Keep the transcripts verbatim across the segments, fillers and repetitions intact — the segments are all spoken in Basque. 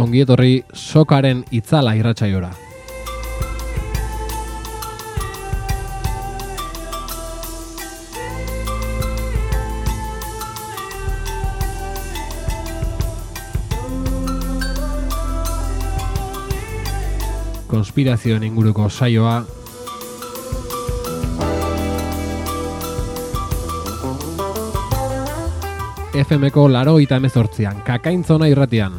Ongi etorri sokaren itzala irratsaiora. Konspirazioen inguruko saioa, F Mko laurogeita hemezortzian, Kakaintzona irratian.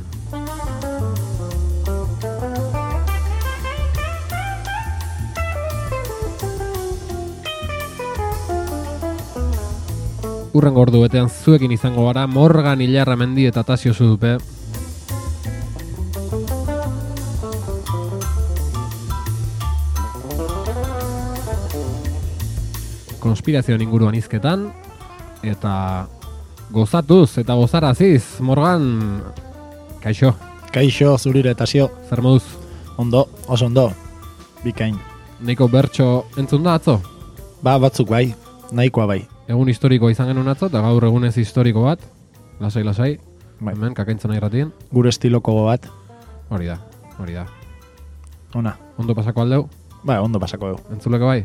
Urrengo ordu betean zuekin izango gara Morgan Ilarramendi eta Tasio Zudupe. Konspirazioen inguruan hizketan eta gozatuz eta gozaraziz, Morgan. Kaixo. Kaixo, zurire, Tasio. Zer moduz? Ondo, oso ondo. Bikain. Neiko bertso entzun da atzo? Ba, batzuk bai, nahikoa bai. Egun historiko izan genuen atzo, eta gaur egunez historiko bat. Lasai, lasai. Bai. Hemen, Kakaintzona irratien. Gure estiloko bat. Hori da, hori da. Ona. Ondo pasako aldeu? Ba, ondo pasako du. Entzuleko bai?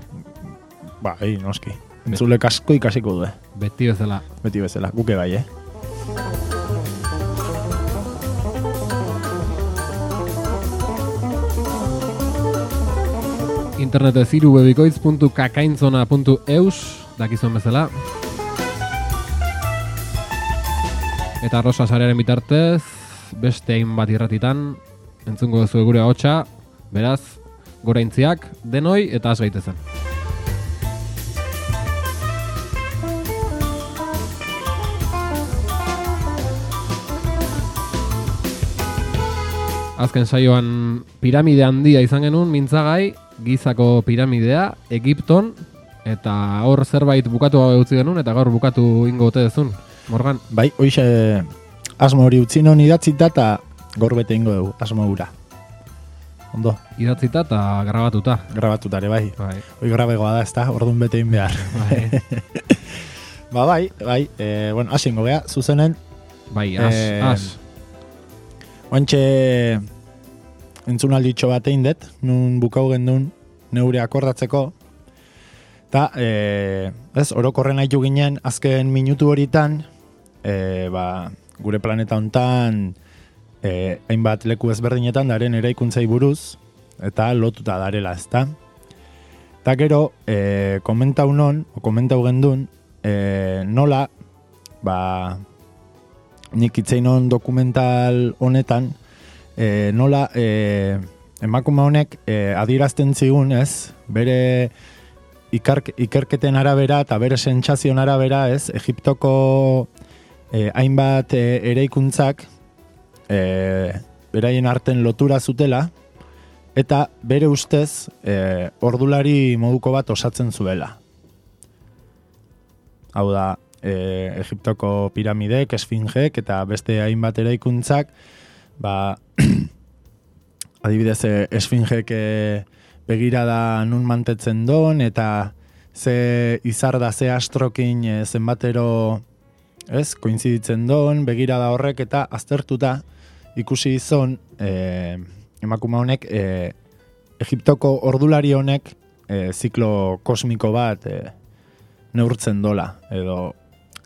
Ba, ei, noski. Entzulek asko ikasiko du, eh? Beti bezala. Beti bezala, guke bai, eh? Internetez irubebikoitz puntu kakaintzona puntu eus, dakizuen bezala. Eta Rosa sarearen bitartez, beste hainbat irratitan, entzungo duzu gure ahotsa, beraz, goraintziak, denoi eta has gaitezen. Azken saioan piramide handia izan genuen, mintzagai, Gizako piramidea, Egipton, eta hor zerbait bukatu gabe utzi genuen, eta gaur bukatu ingo ote dezun, Morgan. Bai, hoize asmo hori utzi non idatzita eta gaur bete ingo dugu, asmo hura. Ondo. Idatzita eta grabatuta. Grabatutare, bai. Bai. Hoi grabegoa da, ez da, orduan bete in behar. Bai. Ba, bai, bai, e, bueno, asingo geha, zuzenen. Bai, as, Eh, as. Oantxe entzunalditxo bat egin dut, nun bukau gendun neure akordatzeko. Eta, e, ez, orokorren haitu ginen, azken minutu horitan, e, ba, gure planeta hontan, e, hainbat leku ezberdinetan daren eraikuntzai buruz, eta lotuta darela, ezta. Eta gero, e, komentau non, o komentau gendun, e, nola, ba, nik itzeinon dokumental honetan, e, nola e, emakume honek e, adierazten zigun, ez, bere ikark, ikerketen arabera eta bere sentsazion arabera, ez, Egiptoko e, hainbat e, eraikuntzak e, beraien arten lotura zutela, eta bere ustez e, ordulari moduko bat osatzen zuela. Hau da, E, Egiptoko piramidek, esfingek eta beste hainbat eraikuntzak, ba, adibidez, esfingek e, begirada nun mantetzen don, eta ze izar da ze astrokin e, zenbatero, ez, koinziditzen don, begirada horrek eta aztertuta ikusi izon, e, emakume honek, e, Egiptoko ordulari honek e, ziklo kosmiko bat e, neurtzen dola, edo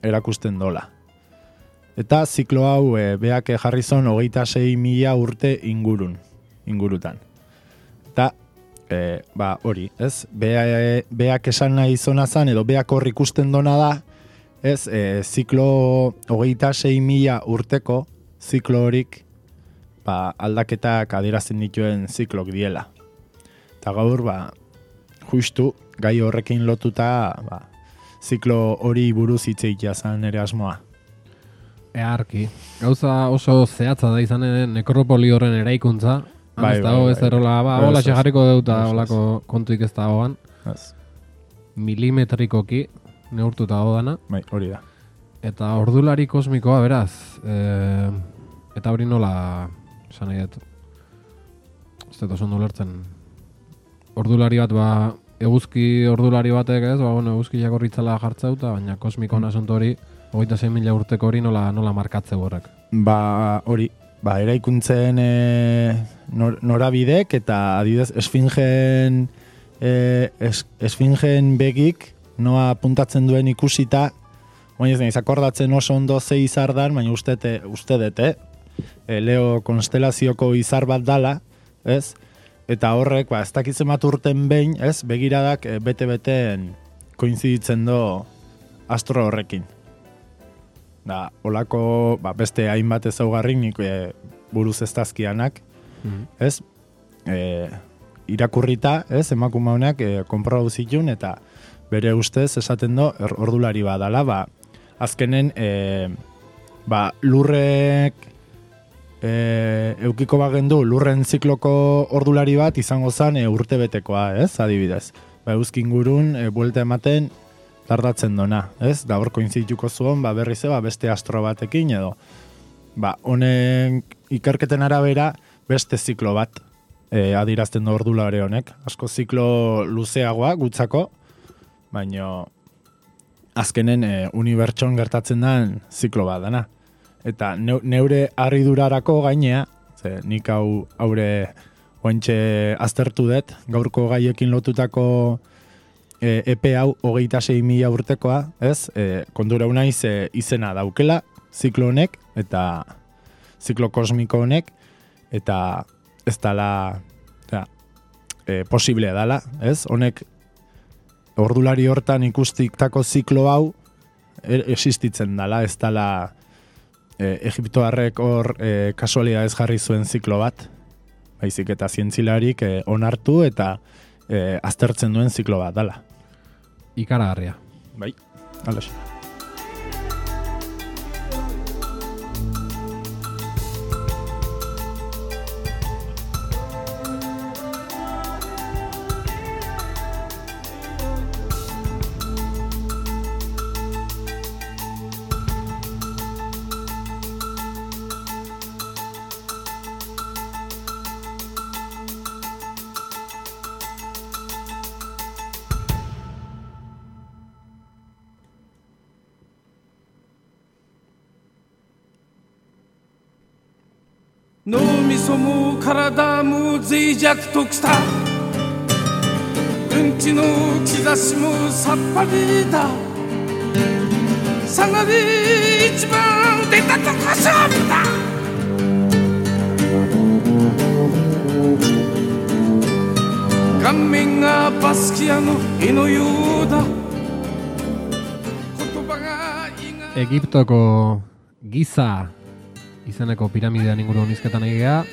erakusten dola. Eta ziklo hau e, beak jarri zon hogeita sei mila urte ingurun, ingurutan. Eta, e, ba, hori, ez? Bea, e, beak esan nahi zona zan, edo beak hor ikusten dona da, ez? E, ziklo hogeita sei mila urteko ziklo horik, ba, aldaketak adierazten dituen ziklok diela. Eta gaur, ba, justu, gai horrekin lotuta, ba, ziklo hori buruz hitzeikia zan ere asmoa. Earki. Gauza oso zehatza da izan nekropoli horren eraikuntza. Bai, ez bai, dago, bai, ez errola, ba, bai, hola ez, ez. jarriko deuta Ez, ez. holako kontuik ez da hoan. Ez. Milimetrikoki neurtuta dana. Bai, hori da. Eta ordulari kosmikoa, beraz. E, eta hori nola, esan nahi dut. Ez dut oso ondo lertzen. Ordulari bat, ba, eguzki ordulari batek, ez, ba, bueno, eguzki jakorritzala jartzeuta, baina kosmiko mm. nasonto hori, hogeita sei mila urteko hori nola, nola markatze horrek. Ba, hori, ba, eraikuntzen e, nor, norabidek eta adibidez esfingen e, es, esfingen begik noa puntatzen duen ikusita, baina ez nahiz akordatzen oso ondo ze izar dan, baina uste dute, e, Leo konstelazioko izar bat dala, ez? Eta horrek, ba, ez dakitzen bat urten behin, ez? Begiradak e, bete-beten koinziditzen do astro horrekin. Da, olako, ba, beste hainbat ezaugarrik nik e, buruz ez dazkianak, mm-hmm. ez? E, irakurrita, ez? Emakume honek e, konprobatu zitun eta bere ustez esaten do ordulari badala, ba, azkenen e, ba, lurrek e, eukiko bagendu lurren zikloko ordulari bat izango zen e, urtebetekoa, ez? Adibidez. Ba, euskin gurun e, buelta ematen tardatzen dona, ez? Da hor koinzituko zuen, ba, berriz ba, beste astro batekin edo. Ba, honen ikerketen arabera beste ziklo bat e, adirazten du ordulari honek. Asko ziklo luzeagoa gutzako, baina azkenen e, unibertson gertatzen den ziklo bat dana. Eta neure harridurarako gainea, ze nik hau haure ointxe aztertu dut, gaurko gaiekin lotutako e, epe hau hogeita sei mila urtekoa, ez? E, kondura unaiz e, izena daukela, ziklo honek, eta ziklo kosmiko honek, eta ez dala ja, e, posible dala, ez? Honek ordulari hortan ikustiktako ziklo hau er, existitzen dala, ez dala e, Egiptoarrek hor e, kasualidadez jarri zuen ziklo bat, baizik eta zientzilarik e, onartu eta e, aztertzen duen ziklo bat dala. Ikaragarria. Bai, alaxe.脳みそも体も脆弱ときたうんちの兆しもさっぱりださがで一番出たとこ勝負だ顔面がバスキアの絵のようだ言葉がエギプトko Giza izeneko piramidean inguruan hizketan egea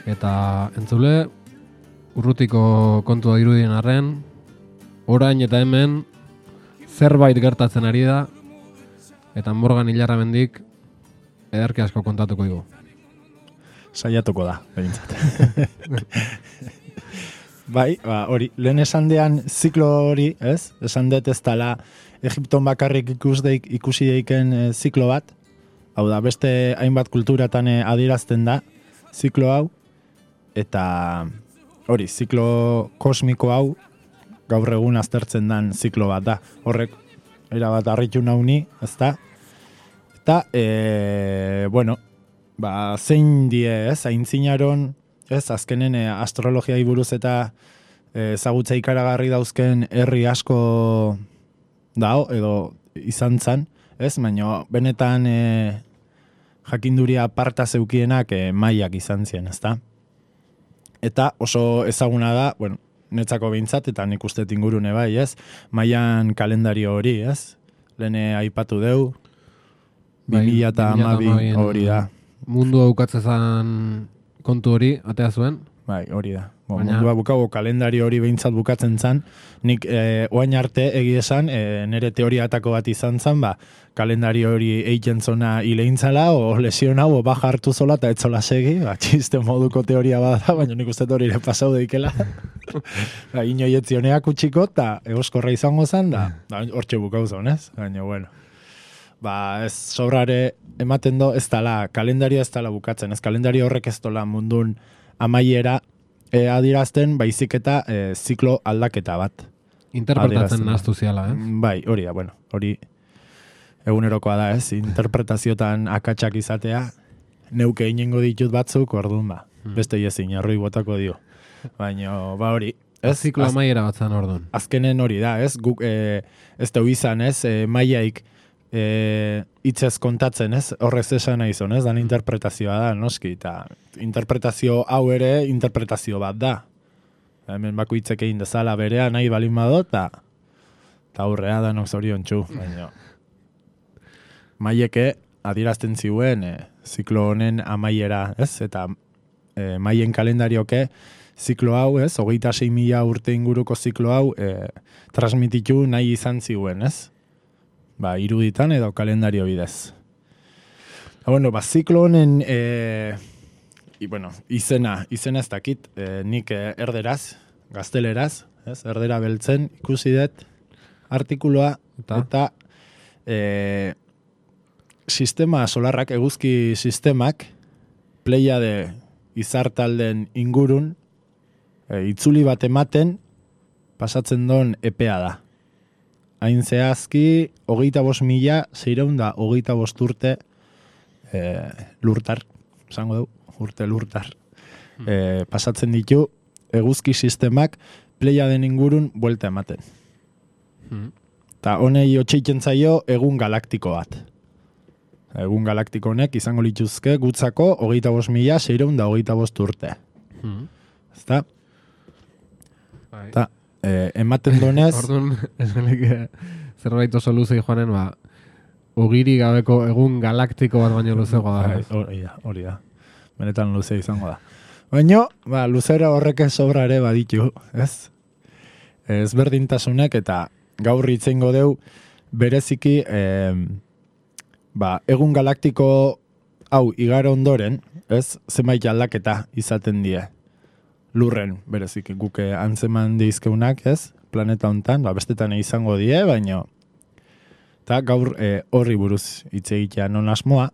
eta entzule urrutiko kontua irudien arren orain eta hemen zerbait gertatzen ari da eta Morgan Ilarramendik ederki asko kontatuko digu. Saiatuko da, behintzat. Bai, ba, hori, lehen esandean ziklo hori, ez? Esan dut ez dela Egipton bakarrik ikus deik, ikusi deiken e, ziklo bat, hau da, beste hainbat kulturatan adierazten da, ziklo hau, eta hori, ziklo kosmiko hau, gaur egun aztertzen den ziklo bat da. Horrek, erabat harritu nauni, ez da? Eta, e, bueno, ba, zein die, ez, aintzinaron, ez, azkenen e, astrologiai buruz eta e, ezagutza ikaragarri dauzken herri asko dao, edo izan zan, ez, baina benetan e, jakinduria parta zeukienak e, maiak izan zien, ezta? Eta oso ezaguna da, bueno, netzako behintzat, eta nik uste ingurune bai, ez? Maian kalendario hori, ez? Lehen aipatu deu, bi mila eta hamabi hori da. Mundu aukatzezan kontu hori, atea zuen? Bai, hori da. Bo, Baina... Mundua bukago kalendario hori behintzat bukatzen zan, nik e, oain arte egia esan, e, nire teoriatako bat izan zan, ba, kalendario hori eiken zona hileintzala, o lesion hau, o baja hartu zola, eta etzola segi, ba, txiste moduko teoria bada, baina nik uste hori ere pasau deikela. Ba, inoietzioneak utxiko, eta egoskorra izango zan, da, da hortxe bukau zon, ez? Baina, bueno. Ba, ez sobrare ematen do, ez dala, kalendario ez dala bukatzen, ez kalendario horrek ez dola mundun amaiera e, adirazten, baizik eta e, ziklo aldaketa bat. Interpretatzen nahaztu ziala, ez? Bai, hori da, bueno, hori egunerokoa da, ez? Interpretaziotan akatsak izatea, neuke inengo ditut batzuk, orduan ba, beste ezin, arroi botako dio. Baina, ba hori, ez? Ziklo amaiera batzan orduan. Azkenen hori da, ez? Guk, e, ez teu izan, ez? E, maiaik e, hitzez kontatzen, ez? Horrez esan nahi zon, ez? Dan interpretazioa da, noski, eta interpretazio hau ere interpretazio bat da. Hemen bako hitzek egin dezala berea nahi balin badot, eta eta aurrea da nok zorion txu. Baina, maieke adierazten ziuen e, ziklo honen amaiera, ez? Eta e, maien kalendarioke ziklo hau, ez? Hogeita sei mila urte inguruko ziklo hau e, transmititu nahi izan ziuen, ez? Ba, iruditan edo kalendario bidez. Eta, bueno, ba, ziklo honen e, i, bueno, izena, izena ez dakit, e, nik e, erderaz, gazteleraz, ez? Erdera beltzen ikusi dut artikuloa eta, eta e, sistema solarrak, eguzki sistemak, Pleiade izartalden ingurun, e, itzuli bat ematen, pasatzen don epea da. Hain zehazki, hogeita bost mila, zeireun da, hogeita bost urte e, lurtar, esango dugu, urte lurtar. E, pasatzen ditu, eguzki sistemak Pleiaden ingurun buelta ematen. Eta honei otxeiken zaio egun galaktiko bat. Egun galaktiko honek izango lituzke gutzako hogeita bost mila, zeireun da hogeita bost urte. Hmm. Ezta? Eta eh, ematen donez... Orduan, esanik zerbait oso luzei joanen, ba, ogiri gabeko egun galaktiko bat baino luzego da. Hori da, hori da. Benetan luze izango da. Baina, ba, luzera horrek sobra ere baditu, ez? Ezberdintasunek eta gaur itzengo deu bereziki eh, ba, egun galaktiko hau igaro ondoren, ez, zenbait aldaketa izaten die. Lurren, bereziki, guke antzeman deizkeunak, ez, planeta hontan, ba, bestetan izango die, baino eta gaur eh, horri buruz hitz egitea non asmoa.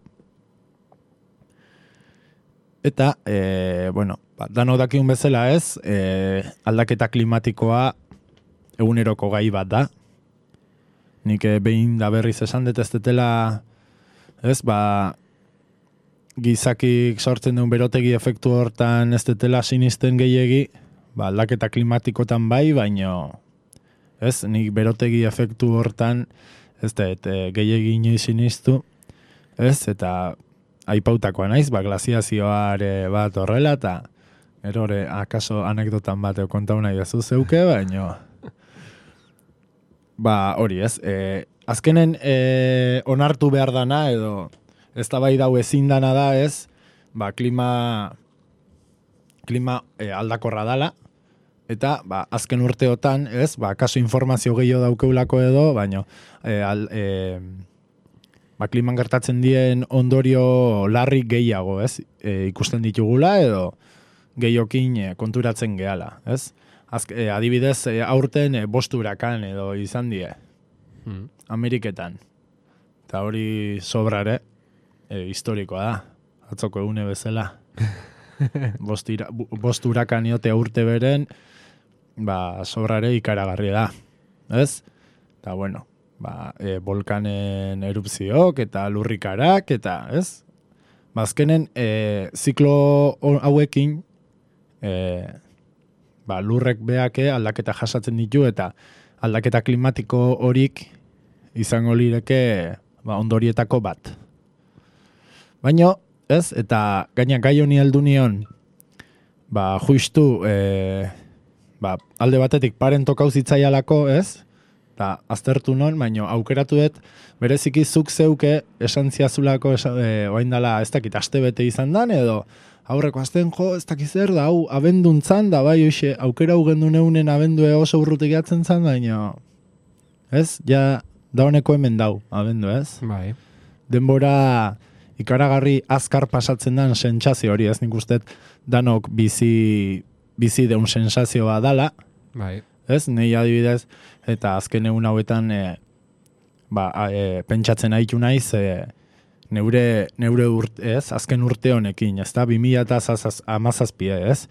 Eta, eh, bueno, ba, dano dakiun bezala ez, eh, aldaketa klimatikoa eguneroko gai bat da. Nik eh, behin da berriz esan dut ez detela, ez, ba, gizakik sortzen duen berotegi efektu hortan ez detela sinisten gehiegi, ba, aldaketa klimatikotan bai, baino, ez, nik berotegi efektu hortan ez dut e, gehiegi inoiz sinistu, ez, eta aipautakoa naiz, ba, glaziazioare bat horrela, eta erore, akaso anekdotan bat kontau nahi bezu zeuke, baino, ba, hori ez, e, azkenen e, onartu behar dana, edo ez da bai dau ezin dana da ez, ba, klima, klima e, aldakorra dala, eta ba, azken urteotan, ez, ba, kaso informazio gehiago daukeulako edo, baino, e, al, e, ba, kliman gertatzen dien ondorio larri gehiago, ez, e, ikusten ditugula edo gehiokin e, konturatzen gehala, ez? Azk, e, adibidez, e, aurten e, bost urakan edo izan die, hmm. Ameriketan. Eta hori sobrare, e, historikoa da, atzoko egune bezala. bost, ira, bost urakan iote urte beren, ba, sobrare ikaragarri da, ez? Eta bueno, ba, e, volkanen erupziok eta lurrikarak, eta, ez? Bazkenen, e, ziklo hauekin, e, ba, lurrek beake aldaketa jasatzen ditu eta aldaketa klimatiko horik izango lireke ba, ondorietako bat. Baina, ez, eta gaina gai honi heldu nion, ba, justu, e, ba, alde batetik paren tokau zitzaialako, ez, eta aztertu non, baina aukeratu dut, bereziki zuk zeuke esan ziazulako, esan, e, oain dala, ez dakit, aste bete izan dan, edo, aurreko azten jo, ez dakiz zer da, hau, abenduntzan da, bai, oixe, aukera hau gendu neunen abendue oso urrutik jatzen zan, baina, ez, ja, da honeko hemen dau, abendu, ez? Bai. Denbora ikaragarri azkar pasatzen dan sentsazio hori, ez nik uste danok bizi, bizi deun sensazio bat dala, bai. Ez, nei adibidez, eta azken egun hauetan, e, ba, e, pentsatzen haitu naiz, e, Neure, neure urte, ez, azken urte honekin, ez da, bi mila hamazazpi, ez,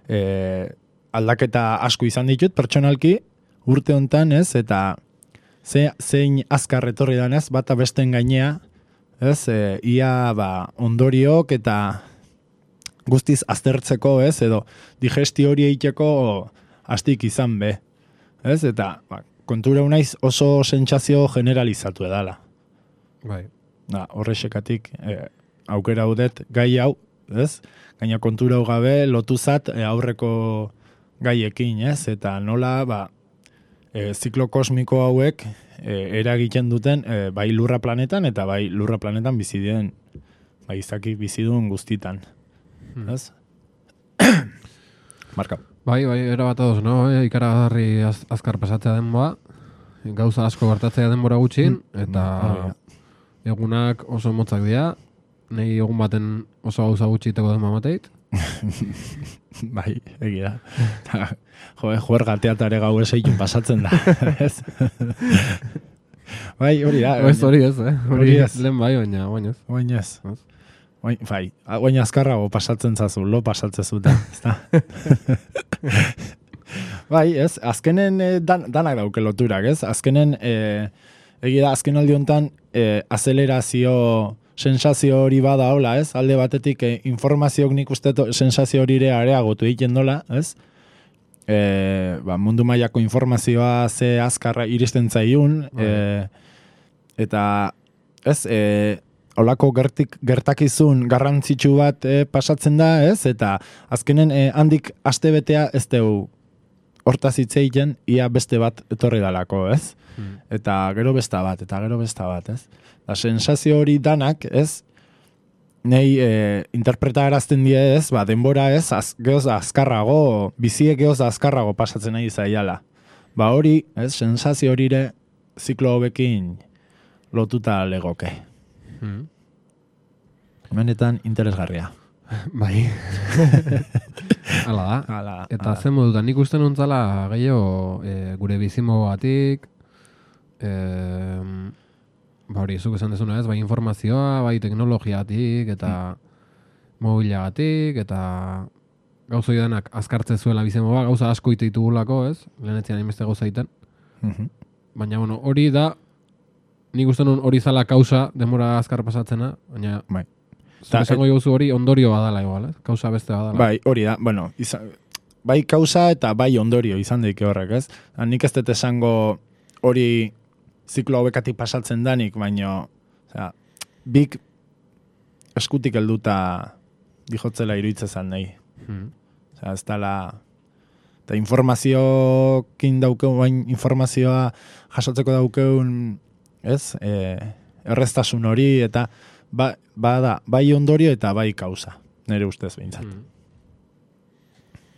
e, aldaketa asko izan ditut, pertsonalki, urte hontan, ez, eta ze, zein azkar etorri danez, bata besten gainea, ez, e, ia ba, ondoriok eta guztiz aztertzeko, ez, edo digestio hori eiteko astik izan be, ez, eta ba, kontura unaiz oso sentsazio generalizatu edala. Bai. Da, horrexekatik e, aukera haudet gai hau, ez, gaina kontura hau gabe lotuzat e, aurreko gaiekin, ez, eta nola, ba, e, ziklo kosmiko hauek e, eragiten duten e, bai lurra planetan eta bai lurra planetan bizi den, bai izaki bizidun guztitan. Hmm. Ez? Marka. Bai, bai, erabat ados, no? E, ikaragarri az, azkar pasatzea denboa, gauza asko gertatzea denbora gutxin, eta egunak oso motzak dira, nahi egun baten oso gauza gutxi iteko den mamateit. Bai, egia. Jo, juerga teatare gau eseitun pasatzen da. Ez? Bai, hori da. Ez hori ez, eh? Hori lehen bai, baina, baina ez. Baina ez. Bai, baina azkarrago pasatzen zazu, lo pasatzen zuta. Bai, ez, azkenen eh, dan, danak dauke loturak, ez? Azkenen, eh, egia da, azken aldi honetan, eh, azelerazio sensazio hori bada hola, ez? Alde batetik eh, informazioak nik uste sensazio hori ere areagotu egiten dola, ez? Eh, ba, mundu mailako informazioa ze azkarra iristen zaiun, eh, eta, ez, eh, holako gertik, gertakizun garrantzitsu bat eh, pasatzen da, ez? Eta azkenen eh, handik astebetea ez deu hortaz hitz egiten ia beste bat etorri dalako, ez? Hmm. Eta gero besta bat, eta gero besta bat, ez? Da sensazio hori danak, ez? Nei eh, interpretarazten die, ez? Ba, denbora, ez? Az, geoz azkarrago, biziek geoz azkarrago pasatzen nahi zaiala. Ba hori, ez? Sensazio horire ziklo hobekin lotuta legoke. Hmm. Benetan interesgarria. Bai. Hala da. Ala, eta ala. zen modutan, nik uste nuntzala gehiago e, gure bizimogatik, e, ba hori, zuk esan dezuna ez, bai informazioa, bai teknologiatik, eta mm. mobilagatik, eta gauza danak azkartze zuela bizimoa, gauza asko ite ditugulako, ez? Lehenetzean inbeste gauza iten. Mm-hmm. Baina, bueno, hori da, nik uste nun hori zala kausa demora azkar pasatzena, baina bai. Zer esango jozu hori ondorio badala igual, eh? Kausa beste badala. Bai, hori da, bueno, izan, bai kausa eta bai ondorio izan daike horrek, ez? Nik ez dut esango hori ziklo hauekatik pasatzen danik, baino, osea, bik eskutik helduta dijotzela iruditzen nahi. Hmm. Osea, ez dala, eta informaziokin daukeun, bain informazioa jasotzeko daukeun, ez? E, erreztasun hori, eta ba, ba da, bai ondorio eta bai kausa, nire ustez behintzat. Mm.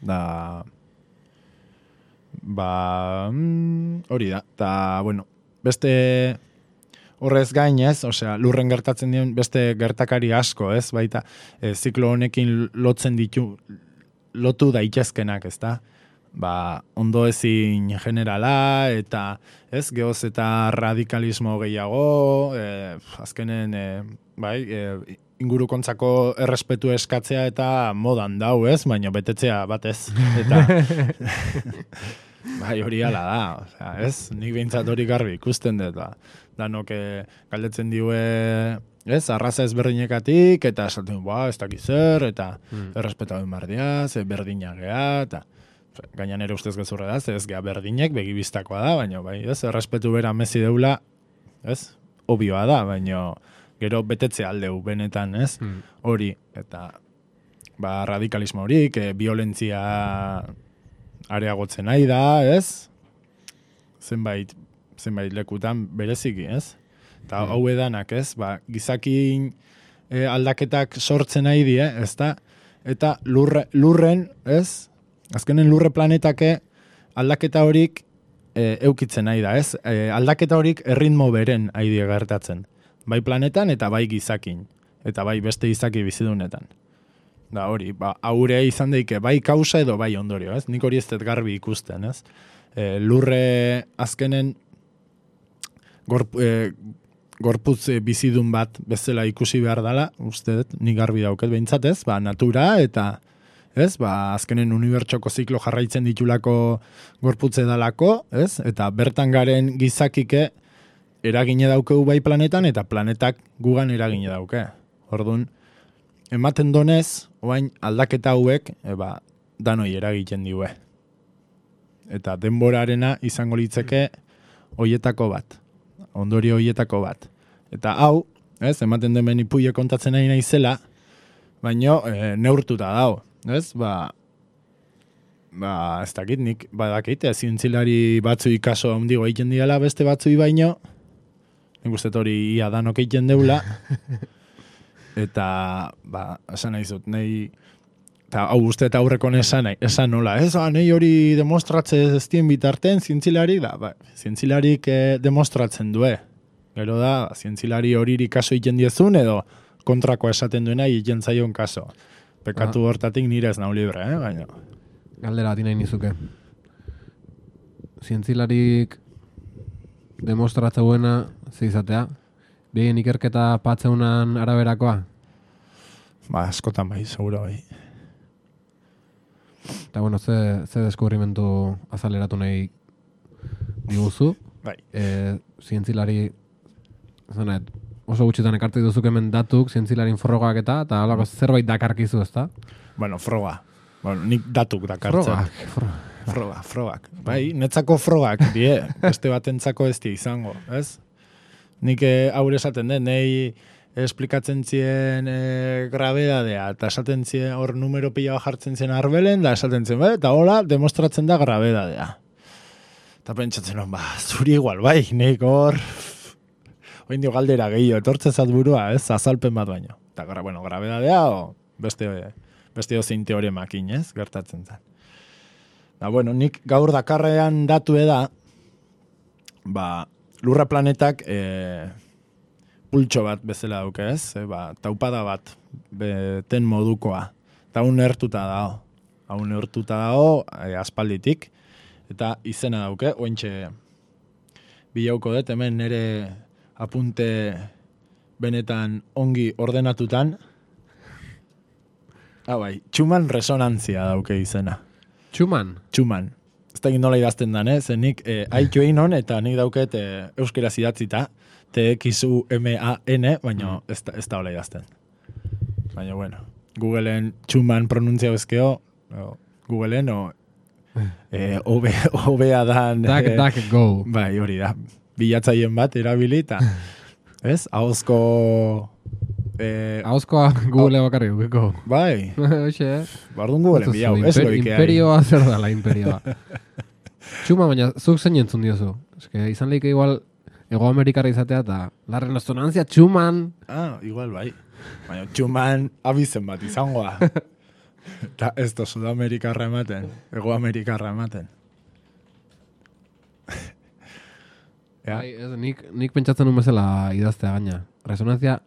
Da, ba, mm, hori da, eta, bueno, beste horrez gain ez, osea, lurren gertatzen dien beste gertakari asko, ez, baita, e, ziklo honekin lotzen ditu, lotu daitezkenak, ez da? Ba, ondo ezin generala, eta ez, geoz eta radikalismo gehiago, e, azkenen, e, bai, e, ingurukontzako errespetu eskatzea eta modan dau, ez, baina betetzea batez. Eta, bai, hori ala da, osea, ez, nik behintzat hori garbi ikusten dut, ba. Danok galdetzen diue, ez, arraza ezberdinekatik, eta esaten, ba, ez dakiz zer, eta hmm. errespetatu bardia, ze berdinak gea, eta gainan ere ustez gezurra da, ez gea berdinek, begibistakoa da, baina, bai, ez, errespetu bera mezi deula, ez, obioa da, baina gero betetze aldeu benetan, ez, hmm. hori, eta ba, radikalismo horik, e, violentzia areagotzen nahi da, ez, zenbait, zenbait lekutan bereziki, ez, eta hmm. hau edanak, ez, ba, gizakin e, aldaketak sortzen nahi die, ez da, eta lurre, lurren, ez, azkenen lurre planetake aldaketa horik e, eukitzen nahi da, ez? E, aldaketa horik erritmo beren aidea gertatzen. Bai planetan eta bai gizakin. Eta bai beste gizaki bizidunetan. Da hori, ba, haure izan daike bai kausa edo bai ondorio, ez? Nik hori ez dut garbi ikusten, ez? E, lurre azkenen gorp, e, gorputz bizidun bat bezala ikusi behar dela, uste dut, nik garbi dauket behintzat, ez? Ba, natura eta ez, ba, azkenen unibertsoko ziklo jarraitzen ditulako gorputze dalako, ez? Eta bertan garen gizakike eragine daukeu bai planetan, eta planetak gugan eragine dauke. Orduan, ematen donez, oain aldaketa hauek, eba, danoi eragiten diue. Eta denborarena izango litzeke hoietako bat. Ondorio hoietako bat. Eta hau, ez, ematen den benipuie kontatzen nahi naizela, baino e, neurtuta dago. Ez, ba, ba, ez dakit, nik badakit, zientzilari batzu ikaso handigo egiten diala beste batzui baino, nik uste hori ia danok egiten deula, eta, ba, esan nahi zut, nahi, eta hau uste eta aurrekon esan, esan nola, ez, ah, nahi hori demostratze ez dien bitarten, zientzilari, da, ba, zientzilarik eh, demostratzen due. Gero da, zientzilari hori kaso egiten diezun, edo kontrako esaten duena egiten zaion kaso. Pekatu ah. hortatik nire ez nau libre, eh, baina. Galdera ati nahi nizuke. Zientzilarik demostratzeuena zeizatea? Bien ikerketa patzeunan araberakoa? Ba, askotan bai, seguro bai. Eta bueno, ze, ze deskubrimentu azaleratu nahi diguzu? Bai. E, zientzilari, zanet, oso gutxitan ekartu duzuk hemen datuk, zientzilarin frogak eta, eta holako zerbait dakarkizu, ezta? Bueno, froga. Bueno, nik datuk dakartzen. Frogak. Frogak. Froga, frogak. Bai, netzako frogak, die, beste batentzako ez di izango, ez? Nik aurre esaten den, nahi esplikatzen zien e, grabedadea, eta esaten zien hor numero pila jartzen zien arbelen, da esaten zien, bai, eta hola, demostratzen da grabedadea. Eta pentsatzen hon, ba, zuri igual, bai, nik hor, oin dio galdera gehiago, etortze zat burua, ez, azalpen bat baino. Eta, bueno, grabedadea, o beste, beste ozein teoremakin, ez, gertatzen zen. Da, bueno, nik gaur dakarrean datu da, ba, lurra planetak e, pultxo bat bezala dauke, ez? E, ba, taupada bat beten modukoa. Eta hau neurtuta dago. Hau neurtuta dago e, aspalditik. Eta izena dauke, ointxe bilauko dut, hemen nire apunte benetan ongi ordenatutan. Ah, bai, Schumann resonantzia dauke izena. Schumann? Schumann. Ez da nola idazten dan, eh? Nik eh, aitu egin hon, eta nik dauket eh, euskeraz idatzita, T X U M A N, baina mm. ez, da, ez da hola idazten. Baina, bueno, Googleen Schumann pronuntzia bezkeo, o, Googleen, o eh, obea dan... Duck, eh, duck, go. Bai, hori da. Bilatzaien bat, erabilita. Ez? Ahozko... Eh, Ahozkoa Google bakarri dukeko. Bai. Oxe. Bardun Google enbiau. Imper, imperioa zer dala, imperioa. Txuma, baina zuk zein entzun diozu. Eske, izan lehike igual Ego Amerikarra izatea eta la resonantzia Schumann. Ah, igual bai. Baina Schumann abizen bat izangoa. Eta ez da Sudamerikarra ematen. Ego Amerikarra ematen. Ja. Bai, ez, nik, nik pentsatzen un bezala idaztea gaina. Resonantzia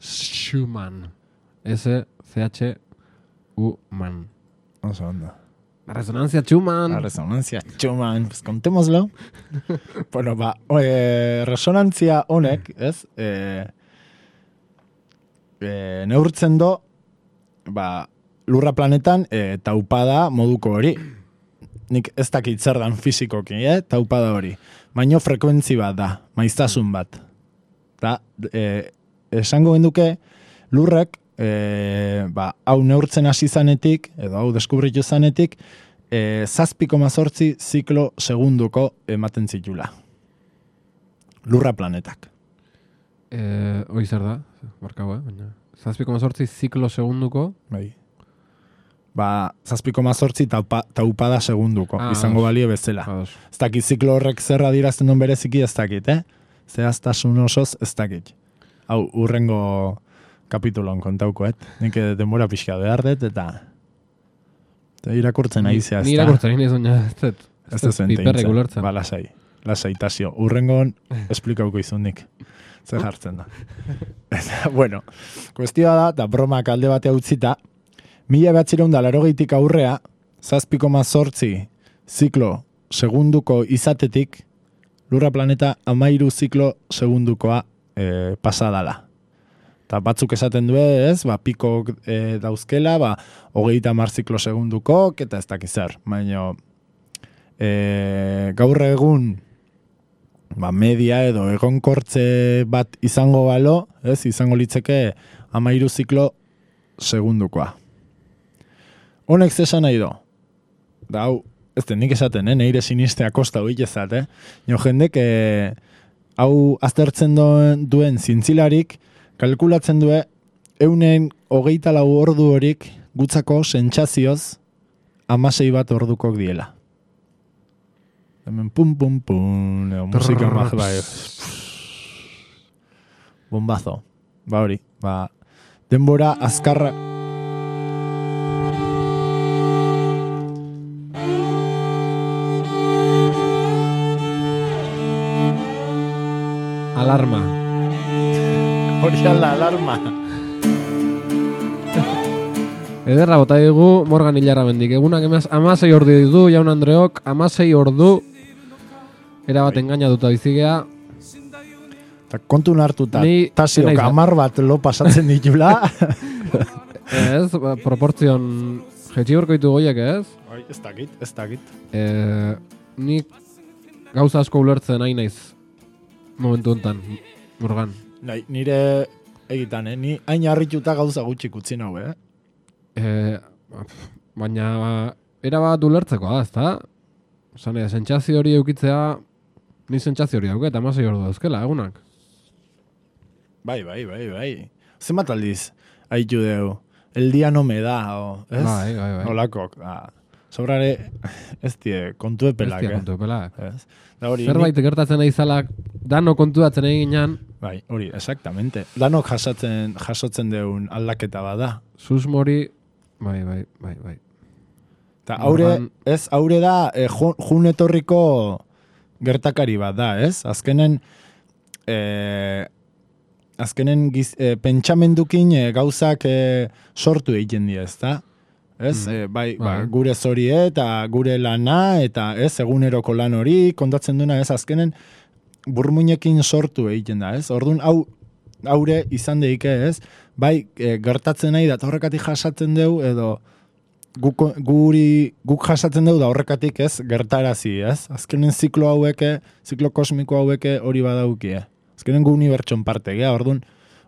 Schumann. S C H U man. Oso onda. La resonancia Schumann. La resonancia Schumann. Pues contémoslo. Bueno, ba, e, resonantzia honek, ez? E, e, neurtzen do, ba, lurra planetan e, taupada moduko hori. Nik ez dakit zer dan fizikoki, eh? Taupada hori. Baino frekuentzi bat da, maiztasun bat. Da, e, esango genduke, lurrek, e, ba, hau neurtzen hasi zanetik, edo hau deskubritu zanetik, e, zazpi koma zortzi ziklo segunduko ematen zitula. Lurra planetak. E, hoi zer da, barkau, eh? Baina, zazpi koma zortzi ziklo segunduko. Bai. Ba, zazpi koma zortzi taupa, taupada segunduko, ah, izango balio bezala. Ez dakit ziklo horrek zerra dirazten duen bereziki ez dakit, eh? Zehaztasun osoz ez dakit. Hau, urrengo kapitulon kontaukoet. Nik denbora pixka behar dut, eta, eta irakurtzen nahi zehazta. Ni irakurtzen nahi zuen, ez dut. Ez dut piperrek ulertzen. Ba, lasai. Lasai, tasio. Urrengon esplikauko izun nik. Zer jartzen da. Eta, bueno, kuestioa da, eta bromak alde batea utzita, mila behatzireun da larogeitik aurrea, zazpi koma zortzi ziklo segunduko izatetik, lurra planeta amairu ziklo segundukoa E, pasadala. Eta batzuk esaten du ez, ba, pikok e, dauzkela, ba, hogeita mar ziklo segundukok, eta ez dakiz zer. Baina, e, gaur egun ba, media edo egonkortze bat izango balo, ez, izango litzeke amairu ziklo segundukoa. Honek zesan nahi do? Da, hau, ez den nik esaten, eh? Neire sinistea kosta hori ezat, eh? Jo jendek, eh, hau aztertzen duen, duen zintzilarik, kalkulatzen due, eunen hogeita lau ordu horik gutzako sentsazioz amasei bat ordukok diela. Hemen pum pum pum, edo musika maje, bai, bombazo, ba hori, ba, denbora azkarra. Alarma. Hori ala, alarma. Ederra bota dugu Morgan Hilarra bendik. Egunak emaz amasei ordu ditu, jaun Andreok, amasei ordu erabat engainatuta bizigea. Eta kontun hartuta, Ni- tasiok naiz, eh? amar bat lo pasatzen ditula. Ez, ba, proportzion jetxiborko ditu goiek, ez? Oi, ez dakit, ez dakit. E, nik gauza asko ulertzen nahi naiz momentu honetan, Morgan. Nahi, nire egitan, eh? Ni hain harrituta gauza gutxi utzi nau, eh? E, baina erabat ulertzeko da, ezta? Osan, e, sentsazio hori eukitzea, ni sentsazio hori dauket, amasei ordu dauzkela, egunak. Bai, bai, bai, bai. Zenbat aldiz, haitu deu, el día no me da, o, ez? Bai, bai, bai. Olakok, ah. Sobrare, ez die, kontu epelak, Ez dira eh? kontu epelak. Ez? Da hori, Zerbait gertatzen nahi zalak, dano kontuatzen egin ginen, bai, hori, exactamente. Danok jasatzen, jasotzen deun aldaketa bada. susmori, bai, bai, bai, bai. Ta haure, Morgan- ez, haure da, eh, jun, jun etorriko gertakari bat da, ez? Azkenen, eh, azkenen giz, eh, pentsamendukin eh, gauzak eh, sortu egiten dira, ez da? Ez, Mm. eh, bai, ba, Bai. gure zorie eta gure lana, eta ez, eguneroko lan hori, kontatzen duna, ez, azkenen burmuinekin sortu egiten da, ez? Orduan, hau, haure izan deike, ez? Bai, eh, gertatzen nahi da, eta horrekatik jasatzen deu, edo guk, guri, guk jasatzen deu da horrekatik, ez, gertarazi, ez? Azkenen ziklo haueke, ziklo kosmiko haueke hori badaukie. Azkenen gu unibertson parte, gea, orduan,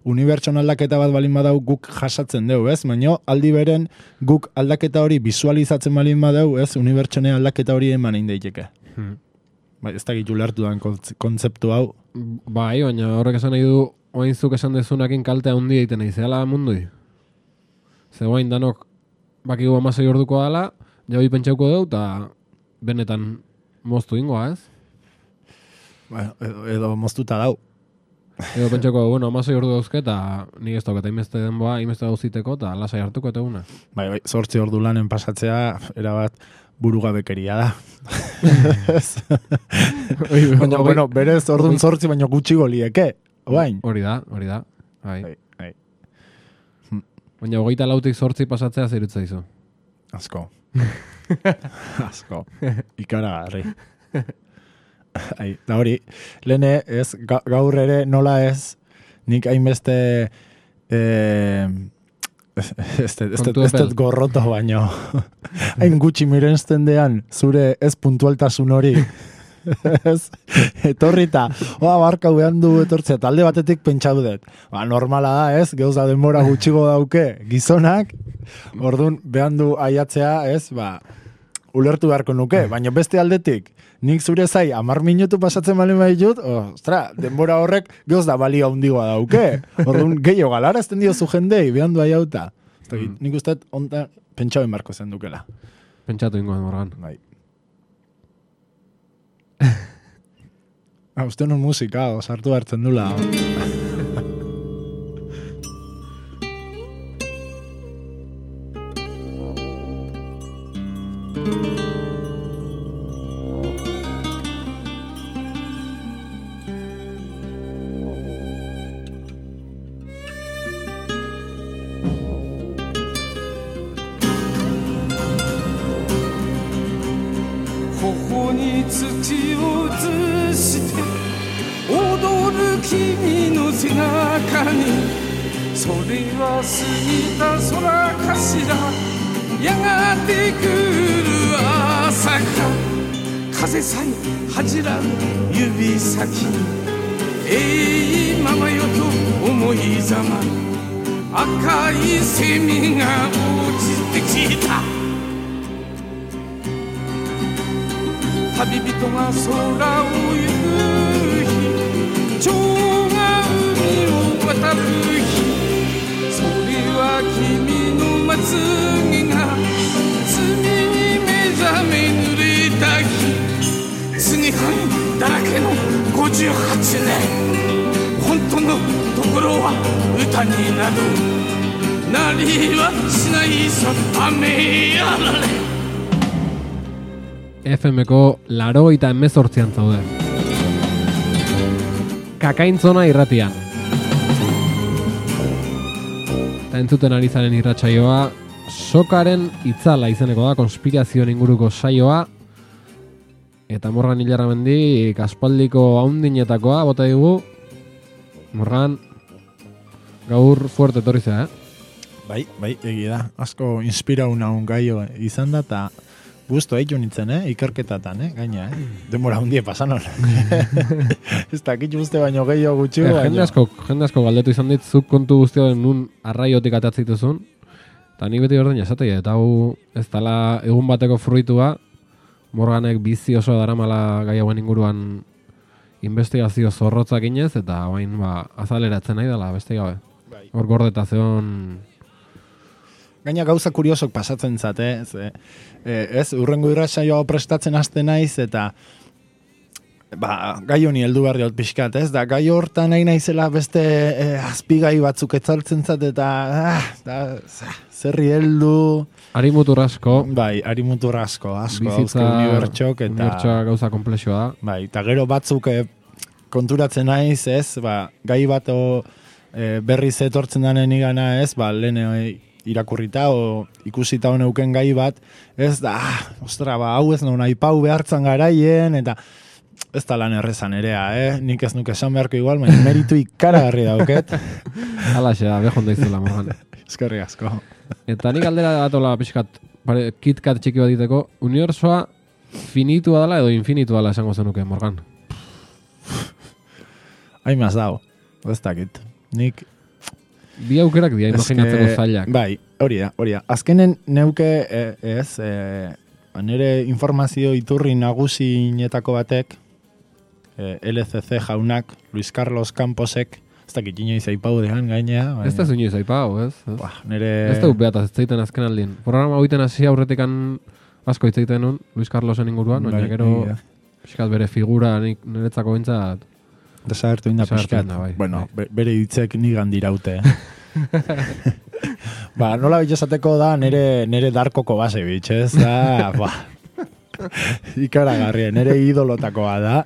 unibertson aldaketa bat balin badau guk jasatzen deu, ez? Baina aldi beren guk aldaketa hori visualizatzen balin badau, ez? Unibertsone aldaketa hori eman egin daiteke. Hmm. Bai, ez dakit ulertu dan kontzeptu hau. Bai, baina horrek esan nahi du, oain zuk esan dezunakin kaltea hundi egiten nahi, zehala mundui. Ze oain danok bakigu amasei orduko dala, jabi pentsauko deu, eta benetan moztu ingoa, ez? Ba, edo, edo moztuta dau. Edo pentsako, bueno, amasei ordu dauzke, eta nik ez dauket, hainbeste denboa, hainbeste dauziteko, eta lasai hartuko eta eguna. Bai, bai, zortzi ordu lanen pasatzea, erabat burugabekeria da. Baina, bueno, berez ordun zortzi baino gutxi golieke. Oain. Hori da, hori da. Bai. Bai, bai. Baina hogeita lautik zortzi pasatzea zerutza izu. Asko. Asko. Ikaragarri. Ai, da hori, lehene ez, ga, gaur ere nola ez, nik hainbeste eh, ez, ez, ez, Kontu ez, ez epel. gorroto baino. Hain gutxi mirensten dean, zure ez puntualtasun hori. Ez, etorrita, oa barka behan du etortzea, talde batetik pentsatu dut. Ba, normala da, ez, geuza denbora gutxigo dauke gizonak, orduan behan du aiatzea, ez, ba, ulertu beharko nuke, baina beste aldetik, nik zure zai, amar minutu pasatzen balen baditut, ostra, denbora horrek geuz da balio handigoa dauke. Orduan, gehiago galara ezten diozu jendei, behan du aiauta. Mm. Nik uste onta pentsauen barko zen dukela. Pentsatu ingoan, Morgan. Bai. Ah, uste non musika, osartu hartzen dula.頬に土を移して踊る君の背中にそれは過ぎた空かしらやがて来る朝か風さえ恥じらう指先えいままよと思いざま赤いセミが落ちてきた旅人が空を行く日蝶が海を渡る日それは君のまつげが罪に目覚め濡れた日罪犯だらけのごじゅうはちねん本当のところは歌になるなりはしないさ雨やられF M-ko laurogeita hemezortzian zaude. Kakaintzona irratian. Eta entzuten ari zaren irratsaioa Sokaren itzala izeneko da, konspirazioen inguruko saioa. Eta Morgan Ilarramendi aspaldiko haundinetakoa bota digu. Morgan, gaur fuerte etorri zea, eh? Bai, bai, egi da. Asko inspirau naun gaio izan da, eta gusto eitu nintzen, eh? Ikerketatan, eh? Gaina, eh? Demora hundie pasan hor. Ez dakit uste baino gehiago gutxi. Eh, jende asko, jende asko galdetu izan dit, zuk kontu guztioen nun arraiotik atatzituzun. Eta nik beti berdin esatei, eta hau ez dala egun bateko fruitua, Morganek bizi oso daramala gai hauen inguruan investigazio zorrotzak inez, eta hain ba, azaleratzen nahi dela, beste gabe. Bai. Hor gordetazioan... Gaina gauza kuriosok pasatzen zate, ez, eh, ez urrengo irratsaioa prestatzen haste naiz, eta ba, gai honi heldu behar diot pixkat, ez, da gai hortan nahi naizela beste eh, azpigai batzuk etzaltzen zat, eta ah, da, zerri heldu... Ari mutur asko. Bai, ari mutur asko, asko, bizitza, hauzke unibertsok, eta... Unibertsoa gauza komplexua da. Bai, eta gero batzuk eh, konturatzen naiz, ez, ba, gai bat o, eh, berriz etortzen danen igana, ez, ba, lehen eh, irakurrita o ikusita honeuken gai bat, ez da, ah, ostra, ba, hau ez non aipau behartzan garaien, eta ez da lan errezan erea, eh? Nik ez nuke esan beharko igual, baina meritu ikaragarri dauket. Alaxe da, behon daizula, Morgan. Eskerri asko. Eta nik aldera datola pixkat, kitkat txiki bat diteko, unibertsoa finitua dela edo infinitua dela esango zenuke, Morgan? Haimaz dago, ez dakit. Nik... Bi aukerak dira, imaginatzeko zailak. Bai, hori da, hori da. Azkenen neuke, eh, ez, eh, nire informazio iturri nagusinetako batek, eh, L C C jaunak, Luis Carlos Camposek, ez dakit inoiz aipau dehan gainea. Ez da zuñoiz aipau, ez? Ba, nire... Ez da upeataz, ez zaiten azken aldien. Programa hoiten hasi aurretikan asko hitzaiten nun, Luis Carlosen inguruan, baina gero, pixkat bere figura niretzako bintzat, desagertu inda pixkat. Bai, bueno, bai. bere hitzek nigan diraute. Ba, nola bitxasateko da nere, nere darkoko base bitxez, da, ba, ikaragarria, nere idolotakoa da.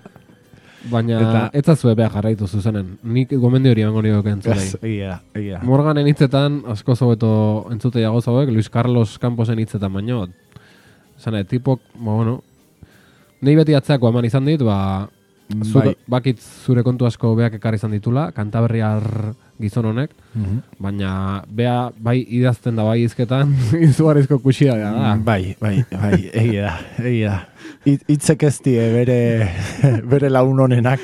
Baina, eta, ez zazue beha jarraitu zuzenen. Nik gomendio hori emango nioke entzulei. Egia, egia. Morganen hitzetan, asko zobeto entzuteiago zauek, Luis Carlos Camposen hitzetan baino. Zane, tipok, ba, bueno, nahi beti atzeako eman izan dit, ba, Zuk, bai. Bakit zure kontu asko beak ekarri izan ditula, kantaberriar gizon honek, mm-hmm. baina bea bai idazten da bai izketan, izugarrizko kuxia da. Mm, bai, bai, bai, egia da, egia da. Itzek ez die bere, bere laun honenak.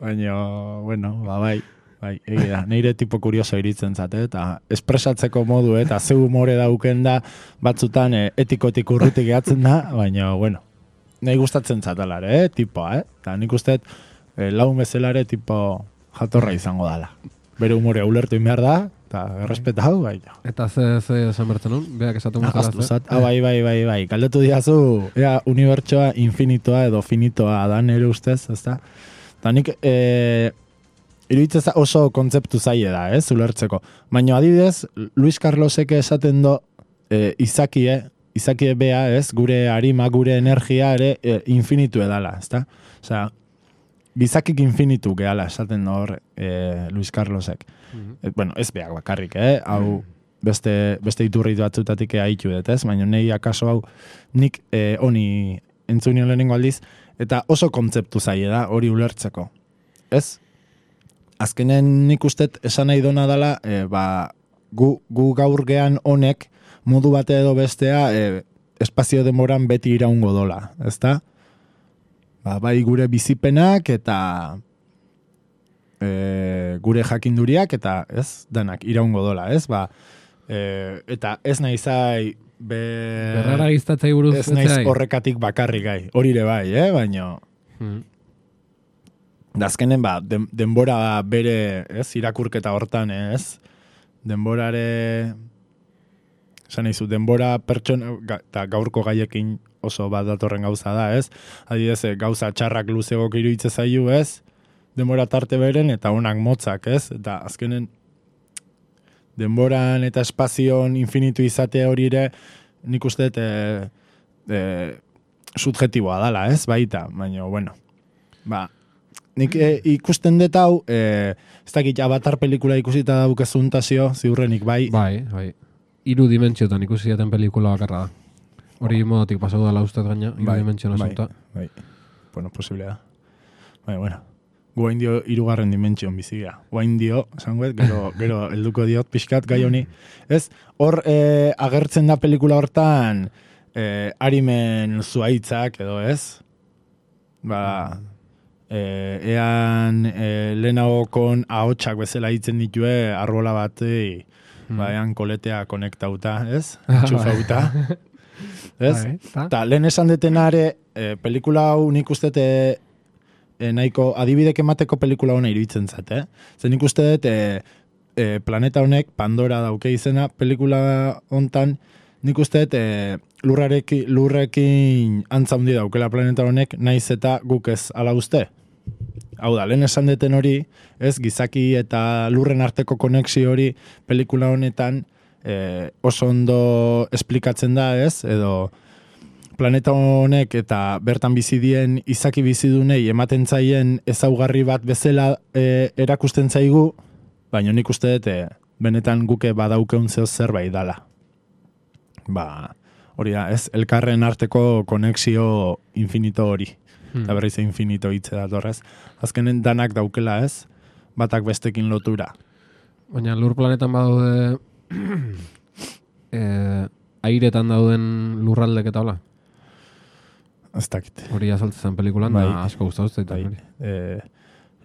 Baina, bueno, ba, bai, bai, egia da. Neire tipo kurioso iritzen zate, eta espresatzeko modu, eta zeu humore dauken da, batzutan eh, etikotik urrutik gehatzen da, baina, bueno, nahi gustatzen zatalare, eh, tipoa, eh? Eta nik usteet, eh, laun bezalare tipo jatorra izango dala. Bere humorea ulertu inbehar da, eta errespetau, bai. Eta ze, ze esan bertzen nun? Beak esatu mutala ze? Ah, bai, bai, bai, bai. Kaldetu diazu, ea, unibertsoa infinitoa edo finitoa da nire ustez, ezta? Eta nik, eh, iruditzez oso kontzeptu zaile da, ez, ulertzeko. Baina adibidez, Luis Carlosek esaten do, eh, izakie, Izaki bea, ez, gure arima, gure energia ere e, infinitu edala, ezta? Osea, bizakik infinitu gehala, esaten hor e, Luis Carlosek. Mm-hmm. E, bueno, ez beak bakarrik, eh? Hau beste, beste iturri batzutatik haitu dut, ez? Baina nahi akaso hau nik e, honi entzunio lehenengo aldiz, eta oso kontzeptu zaie da hori ulertzeko. Ez? Azkenen nik ustet esan nahi dona dela, e, ba, gu, gu gaur gean honek, modu bate edo bestea, e, espazio demoran beti iraungo dola, ezta? ba, bai gure bizipenak eta e, gure jakinduriak eta ez, danak iraungo dola, ez? Ba, e, eta ez naizai be... Berrara giztatzei buruz ez naiz horrekatik bakarrik gai, hori ere bai, eh? Baina hmm. da azkenen ba, den, denbora bere, ez, irakurketa hortan, ez? Denborare esan nahizu, denbora pertsona eta gaurko gaiekin oso bat datorren gauza da, ez? Adidez, gauza txarrak luzegok iruitze zaiu, ez? Denbora tarte beren eta onak motzak, ez? Eta azkenen denboran eta espazion infinitu izate hori ere nik uste e, e, subjetiboa dala, ez? Baita, baina, bueno, ba, nik e, ikusten dut hau, e, ez dakit Avatar pelikula ikusita daukezuntazio, ziurrenik, bai? Bai, bai. Hiru dimentsiotan ikusi jaten pelikula bakarra da. Hori modotik pasau dela ustez gaina, hiru bai, dimentsio asunta. Bai, bai. Bueno, posiblea da. Bai, bueno. Guain dio hirugarren dimentsion bizigea. Guain dio, esangoet, gero, gero helduko diot pixkat gai honi. Ez, hor e, agertzen da pelikula hortan e, arimen zuaitzak edo, ez? Ba, e, ean e, lehenagokon ahotsak bezala hitzen ditue arbola batei, mm. ba, ean koletea konektauta, ez? Txufauta. Ez? Eta lehen esan detenare, e, pelikula hau nik uste e, e, nahiko adibidek emateko pelikula hona iruditzen zat, eh? Zer nik uste dut e, e, planeta honek, Pandora dauke izena, pelikula hontan, nik uste dut e, lurrarekin, lurrekin antza hundi daukela planeta honek, naiz eta guk ez ala uste. Hau da, lehen esan deten hori, ez, gizaki eta lurren arteko konexio hori pelikula honetan e, oso ondo esplikatzen da, ez, edo planeta honek eta bertan bizidien izaki bizidunei ematen zaien ezaugarri bat bezala e, erakusten zaigu, baina nik uste dut e, benetan guke badaukeun zeo zerbait dala. Ba, hori da, ez, elkarren arteko konexio infinito hori. Hmm. Eta berriz infinito hitze datorrez. Azkenen danak daukela, ez? Batak bestekin lotura. Baina lur planetan badaude e, airetan dauden lurraldek eta hola? Ez dakit. Hori azaltzen pelikulan, bai, da asko gustatu zaitu. Bai. Eh,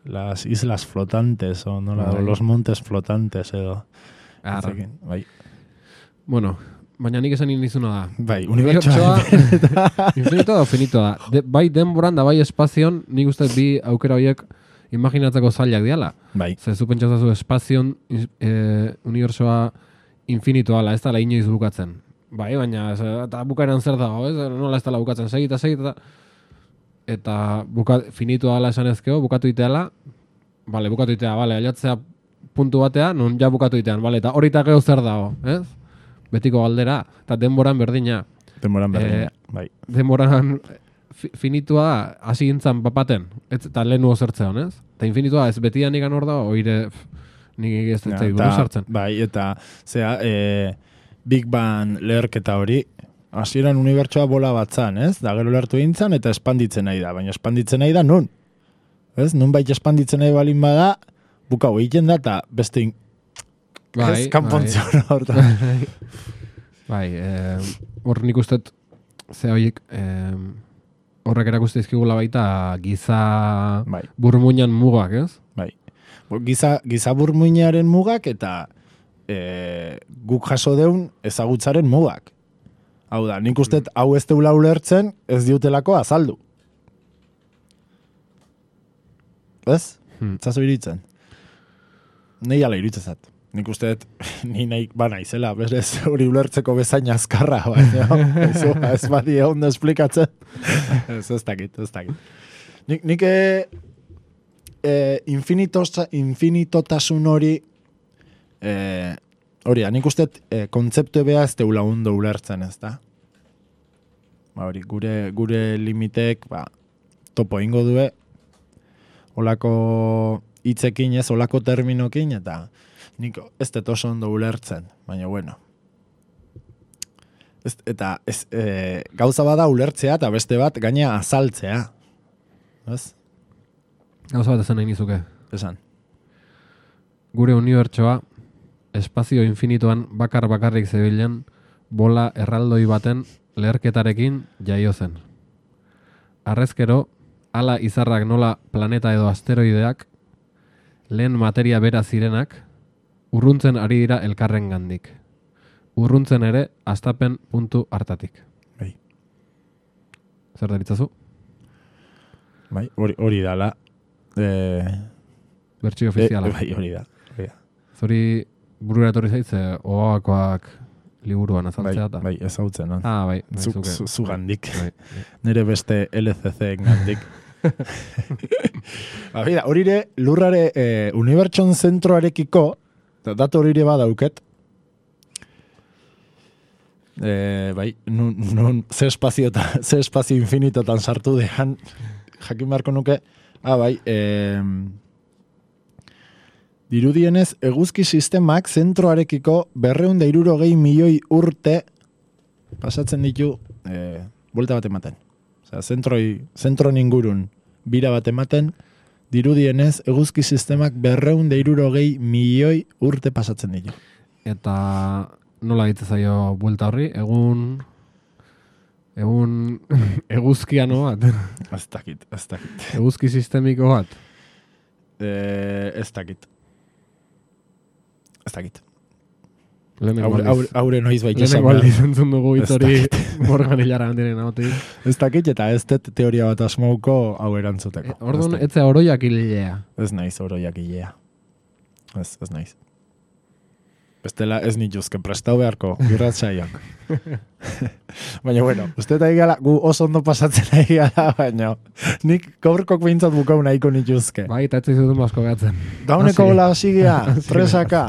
las islas flotantes, o no, bai. los montes flotantes, edo. Arra. Bai. Bueno, baina nik esan nizuna da. Bai, unibertsoa. Infinito da, finito da. De, bai denboran da, bai espazion, nik uste bi aukera horiek imaginatzeko zailak diala. Bai. Zer, zu pentsatzen espazion e, unibertsoa infinito ala, ez da la inoiz bukatzen. Bai, baina, ez, eta bukaeran zer dago, ez? Nola ez da la bukatzen, segita, segita, eta buka, finito ala esan ezkeo, bukatu iteala, bale, bukatu itea, bale, ailatzea puntu batea, non ja bukatu itean, bale, eta hori eta geho zer dago, ez? Betiko galdera, eta denboran berdina. Denboran berdina, e, bai. Denboran finitua hasi gintzan papaten, eta lehenu zertzea honez? Eta infinitua ez betian ikan hor da, oire nik ez dut buru sartzen. Bai, eta zea, e, Big Bang leherketa hori, hasieran unibertsoa bola batzan, ez? Da gero lertu gintzan eta espanditzen nahi da, baina espanditzen nahi da nun. Ez? Nun baita espanditzen nahi balin bada, bukau egiten da eta beste in... Bai, ez kanpontzio bai. horta. Bai, hor eh, nik ustet ze horiek eh, horrek erakuste izkigula baita giza bai. burmuinan mugak, ez? Bai. Giza, giza burmuinaren mugak eta e, guk jaso deun ezagutzaren mugak. Hau da, nik ustet hau ez deula ulertzen ez diutelako azaldu. Ez? Hmm. Zazo iritzen. Nei ala iritzezat. Nik usteet, ni nahi bana izela, berez hori ulertzeko bezain azkarra, baina ez, ez badi egon da esplikatzen. Ez, ez dakit, ez dakit. Nik, nik e, e, infinitotasun hori, e, hori da, nik usteet e, kontzeptu beha ez teula ondo ulertzen, ez da? Ba, hori, gure, gure limitek, ba, topo ingo due, olako hitzekin ez, olako terminokin, eta nik ez dut oso ondo ulertzen, baina bueno. Ez, eta ez, e, gauza bada ulertzea eta beste bat gaina azaltzea. Ez? Gauza bat esan nahi nizuke. Esan. Gure unibertsoa espazio infinituan bakar bakarrik zebilen bola erraldoi baten leherketarekin jaio zen. Arrezkero, ala izarrak nola planeta edo asteroideak, lehen materia bera zirenak, urruntzen ari dira elkarren gandik. Urruntzen ere, astapen puntu hartatik. Bai. Zer deritzazu? Bai, hori, hori dala. Eh, Bertsio ofiziala. E, bai, hori da. Hori da. Zori burura etorri zaitze, oakoak liburuan azaltzea eta? Bai, bai, ezautzen, no? Ah, bai. bai Zu, zuke. zu, zu gandik. Bai, bai. Nire beste L C C gandik. ba, bida, horire, lurrare eh, unibertson zentroarekiko, datu horire badauket, eh, bai, nun, nun ze espazio, ta, ze espazio infinitotan sartu dehan, jakin beharko nuke, ah, bai, eh, dirudienez, eguzki sistemak zentroarekiko berreun da hirurogei milioi urte pasatzen ditu eh, buelta bat ematen. Osea, zentroi, zentron ingurun bira bat ematen, dirudienez, eguzki sistemak berreun da hirurogei milioi urte pasatzen ditu. Eta nola egite zaio buelta horri? Egun... Egun... eguzkiano bat? Ez dakit, ez dakit. Eguzki sistemiko bat? Eh, ez dakit. Ez dakit. Lehenengo Aure, aure, aure noiz baita esan Lehenengo behar. aldiz entzun dugu hitz Ez hori dakit. Morgan hilara handiren ahotik. Ez dakit eta ez dut teoria bat asmauko hau erantzuteko. E, Orduan, Ez dakit. etzea oroiak hilea. Ez naiz oroiak ilea. Ez, ez naiz. Bestela ez nituzke prestau beharko, irratzaiak. Baina, bueno, uste eta egala, gu oso ondo pasatzen egala, baina nik gaurkok behintzat bukau nahiko nituzke. Bai, eta etzi zuten basko gatzen. Dauneko Hasi. hola hasigia, Hasi. presaka.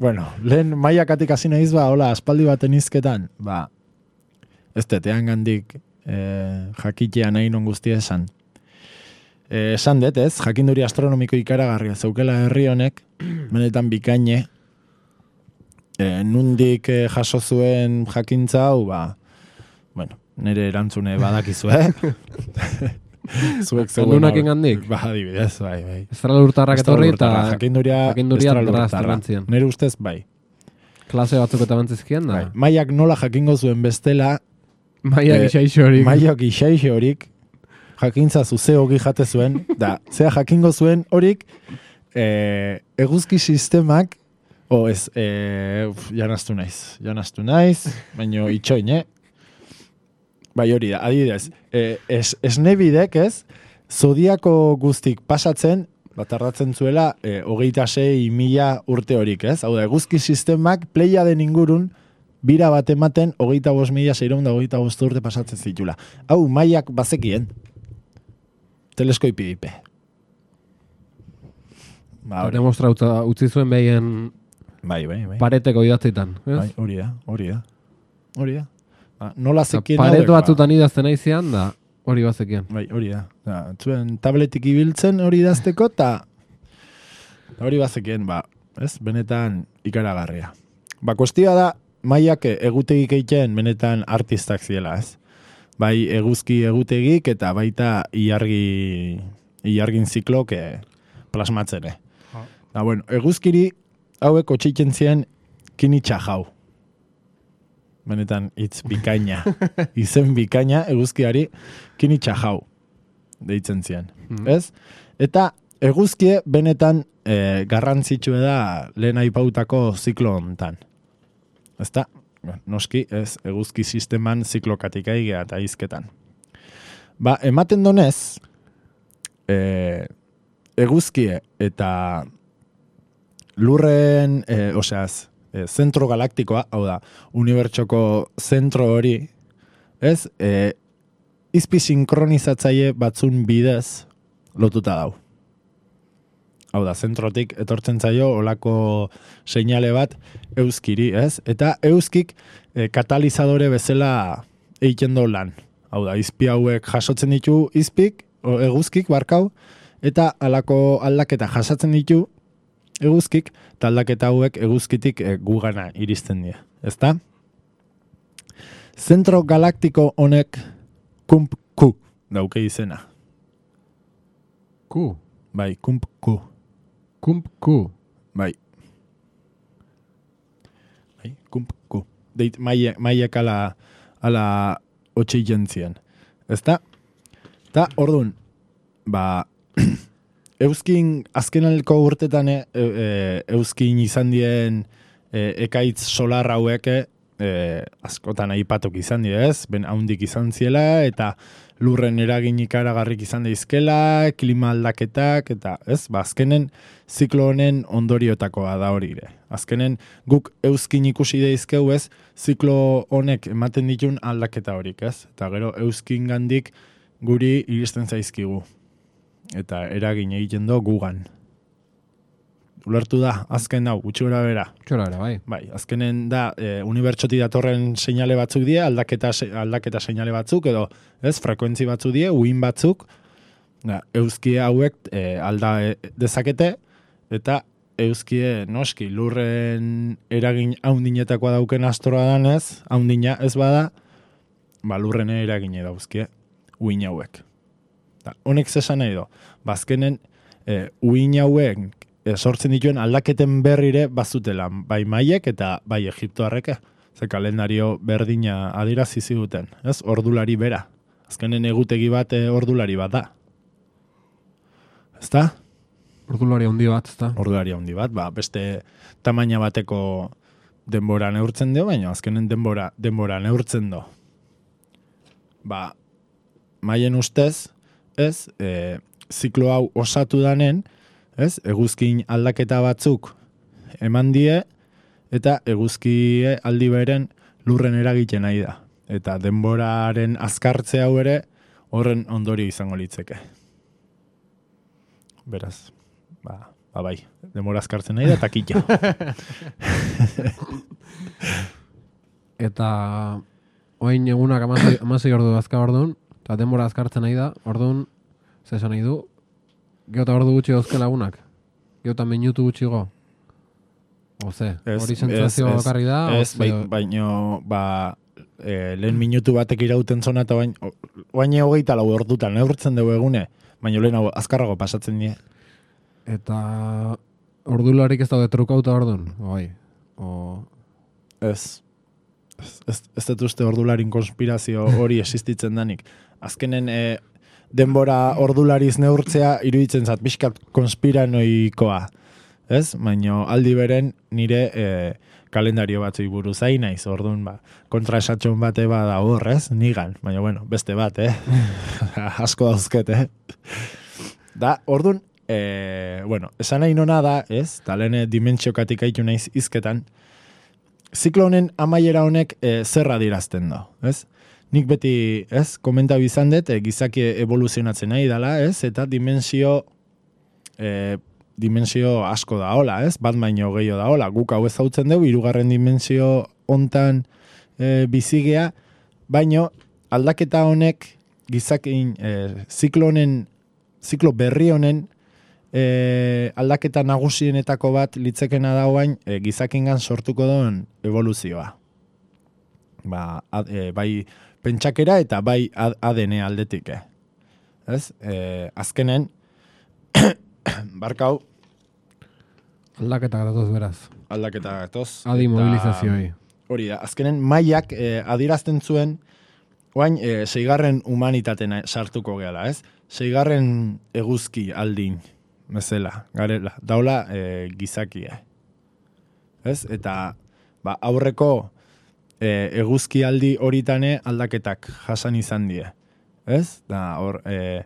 Bueno, lehen maiakatik hasi naiz ba, hola, aspaldi baten izketan, ba, ez tetean gandik eh, jakitea nahi non guztia esan. Eh, esan dut, ez, jakinduri astronomiko ikaragarria zeukela herri honek, benetan bikaine, eh, nundik eh, jaso zuen jakintza hau, ba, bueno, nire erantzune badakizu, eh? Zuek zeuen Lunak hor- ingandik? Ba, adibidez, bai, bai. Estralurtarrak etorri eta Estralurtarra, jakinduria, jakinduria estralurtarra. drazte bantzien. Nire ustez, bai. klase batzuk eta bantzizkien da. bai. Maiak nola jakingo zuen bestela, Maia Eh, gixaixo hori. maiak isaixe horik, jakintza zuze hogi jate zuen, da, zea jakingo zuen horik, eh, eguzki sistemak, o ez, eh, uf, janaztu naiz, janaztu naiz, baino itxoin, eh? Bai hori da, adibidez, eh, es, esnebidek ez, zodiako guztik pasatzen, bat ardatzen zuela, eh, hogeita sei mila urte horik, ez? Hau da, eguzki sistemak pleia den ingurun, bira bat ematen, hogeita bost mila seireun da hogeita bost urte pasatzen zitula. Hau, maiak bazekien. Teleskoipi dipe. Ba, hori. Demostra utza- utzi zuen behien Bai, bai, bai. pareteko idatzitan. ez? Bai, hori da, hori da. Hori da. Ba, nola Eta zekien pareto hauek, ba? batzutan idazten aizian da, hori bazekien. Bai, hori da. Da, zuen tabletik ibiltzen hori idazteko, eta hori bazekien, ba, ez, benetan ikaragarria. Ba, kuestioa da, maiak egutegik egiten benetan artistak ziela, ez? Bai, eguzki egutegik eta baita ilargi, ilargin ziklok eh, plasmatzen, eh. Da, bueno, eguzkiri hauek otxitzen zien kinitxa jau. Benetan, hitz bikaina. Izen bikaina eguzkiari kinitxa jau deitzen zien. Mhm. Ez? Eta eguzkie benetan e, garrantzitsue da lehen aipautako ziklo hontan. Ezta? Noski, ez, eguzki sisteman ziklokatik aigea eta izketan. Ba, ematen donez, e, eguzkie eta lurren, e, oseaz, e, zentro galaktikoa, hau da, unibertsoko zentro hori, ez, e, izpi sinkronizatzaile batzun bidez lotuta dau. Hau da, zentrotik etortzen zaio olako seinale bat euskiri, ez? Eta euskik e, katalizadore bezala egiten do lan. Hau da, izpi hauek jasotzen ditu izpik, o, eguzkik, barkau, eta alako aldaketa jasatzen ditu eguzkik, eta aldaketa hauek eguzkitik e, gugana iristen dira. Ezta? Zentro galaktiko honek kump ku dauke izena. Ku. Bai, kump ku. Kump ku. Bai. Bai, kump ku. Deit maie, maiek ala, ala otxe jentzien. Ezta? Eta, orduan, ba, euskin azkenalko urtetan e, e, euskin izan dien e, ekaitz solar hauek e, askotan aipatok izan die, ez? Ben haundik izan ziela, eta lurren eragin ikaragarrik izan daizkela, klima aldaketak, eta ez, ba, azkenen ziklo honen ondoriotakoa da hori ere. Azkenen guk euskin ikusi daizkeu, ez, ziklo honek ematen ditun aldaketa horik, ez? Eta gero euskin gandik guri iristen zaizkigu. Eta eragin egiten do gugan. Ulertu da, azken hau, gutxi gora bera. Gutxi gora bera, bai. Bai, azkenen da, e, unibertsoti datorren seinale batzuk die, aldaketa, aldaketa seinale batzuk, edo, ez, frekuentzi batzuk die, uin batzuk, da, euskie hauek e, alda e, dezakete, eta euskie, noski, lurren eragin haundinetakoa dauken astroa danez, haundina ez bada, ba, lurren eragine dauzkie, uin hauek. Da, honek zesan nahi do, bazkenen, e, uin hauek, sortzen dituen aldaketen berrire bazutela, bai maiek eta bai egiptoarreke. Ze kalendario berdina adirazi ziguten, ez? Ordulari bera. Azkenen egutegi bat e, ordulari bat da. Ezta? Ordulari handi bat, ezta? Ordulari handi bat, ba, beste tamaina bateko denbora neurtzen dio, baina azkenen denbora, denbora neurtzen do. Ba, maien ustez, ez, e, ziklo hau osatu danen, ez, eguzkin aldaketa batzuk eman die, eta eguzkie aldi beren lurren eragiten nahi da. Eta denboraren azkartze hau ere horren ondorio izango litzeke. Beraz, ba, ba bai, denbora azkartzen nahi da, eta kitxo. Eta oain egunak amasei ordu azka orduan, eta denbora azkartzen nahi da, orduan, zesan nahi du, Geota ordu gutxi dauzke lagunak? Geota minutu gutxi go? Oze, hori sentzazioa bakarri da? Ez, bai, baino, ba, e, lehen minutu batek irauten zona, eta bain, baina hogeita lau ordutan, neurtzen dugu egune, baina lehen hau azkarrago pasatzen die. Eta ordularik ez daude trukauta orduan? Bai. O... Ez. Ez, ez, ez dut uste ordularin konspirazio hori existitzen danik. Azkenen, e, denbora ordulariz neurtzea iruditzen zat pixkat konspiranoikoa, ez? Baina aldi beren nire e, kalendario batzui buruz hain naiz, orduan ba, kontraesatxon bate bada hor, ez? Nigan, baina bueno, beste bat, eh? Asko dauzket, eh? Da, orduan, e, bueno, esan nahi nona da, ez? Talene dimentsiokatik haitu naiz izketan, ziklo honen amaiera honek e, zerra dirazten do, ez? Nik beti, ez, komenta bizan dut, e, gizaki evoluzionatzen nahi dela, ez, eta dimensio, e, dimensio asko da hola, ez, bat baino gehiago da hola, guk hau ezautzen dugu, hirugarren dimensio hontan e, bizigea, baino aldaketa honek gizakin, e, ziklo honen, ziklo berri honen, e, aldaketa nagusienetako bat litzekena dauain, e, gizakingan sortuko duen evoluzioa. Ba, ad, e, bai, pentsakera eta bai A D N aldetik, eh? Ez? E, azkenen, barkau... Aldaketa gatoz beraz. Aldaketa gatoz. Adi mobilizazioi. Hori da, azkenen maiak e, adirazten zuen, oain, e, seigarren humanitatena sartuko gehala, ez? Seigarren eguzki aldin, bezala, garela. Daula e, gizakia. Ez? Eta, ba, aurreko... E, eguzki aldi horitane aldaketak jasan izan die. Ez? Da, hor, e,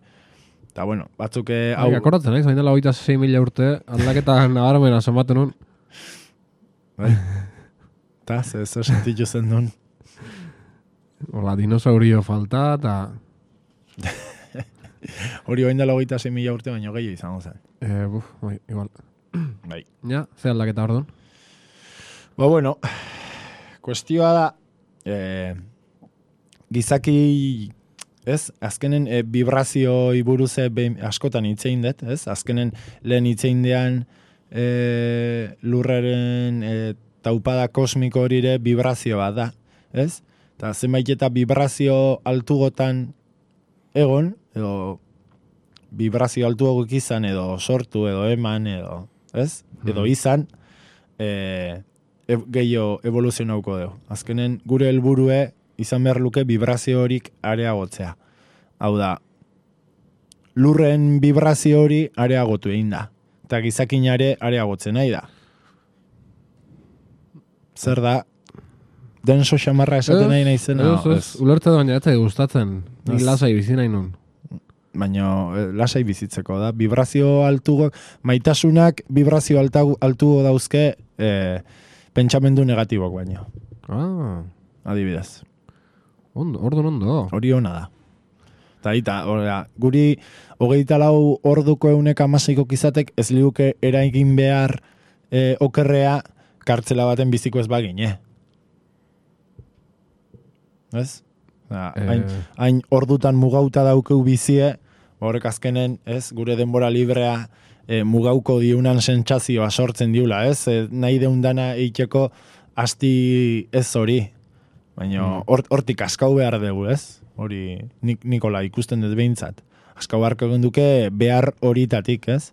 da, bueno, batzuk... Hau... Akoratzen, ez? Baina hogeita sei mila urte aldaketa nabarmena somaten nun. Bai. Eta, ze, ze sentitu zen duen. Hola, dinosaurio falta, eta... Hori bain dela hogeita sei mila urte, baina gehiago izango zen. Eh, buf, bai, igual. Bai. Ja, ze aldaketa orduan? Ba, bueno... Kuestioa da, e, gizaki, ez, azkenen e, vibrazio iburuze askotan hitzein dut, ez, azkenen lehen hitzein dean e, lurraren e, taupada kosmiko horire vibrazio bat da, ez, eta zenbait eta vibrazio altugotan egon, edo vibrazio altuagok izan, edo sortu, edo eman, edo, ez, edo izan, e, E, gehiago evoluzionauko dugu. Azkenen gure helburue izan behar luke vibrazio horik areagotzea. Hau da, lurren vibrazio hori areagotu egin da. Eta gizakinare areagotzen nahi da. Zer da, denso xamarra esaten nahi nahi zena? Ez, ez, ulertze da baina ez zait gustatzen. Nik lasai bizi nahi nun. Baina lasai bizitzeko da. Vibrazio altugo, maitasunak vibrazio altugo, altugo dauzke eh, pentsamendu negatibok baino. Ah. Adibidez. Ondo, ordu ondo. Hori ona da. Eta ita, orra, guri hogeita lau orduko euneka amaseiko kizatek ez liuke eraigin behar e, okerrea kartzela baten biziko ez bagin, eh? Ez? Da, Eh. hain, hain ordutan mugauta daukeu bizie, horrek azkenen, ez? Gure denbora librea e, mugauko diunan sentsazioa sortzen diula, ez? E, nahi deundana eiteko asti ez hori. Baina hortik askau behar dugu, ez? Hori nik, Nikola ikusten dut behintzat. Askau beharko genduke behar horitatik, ez?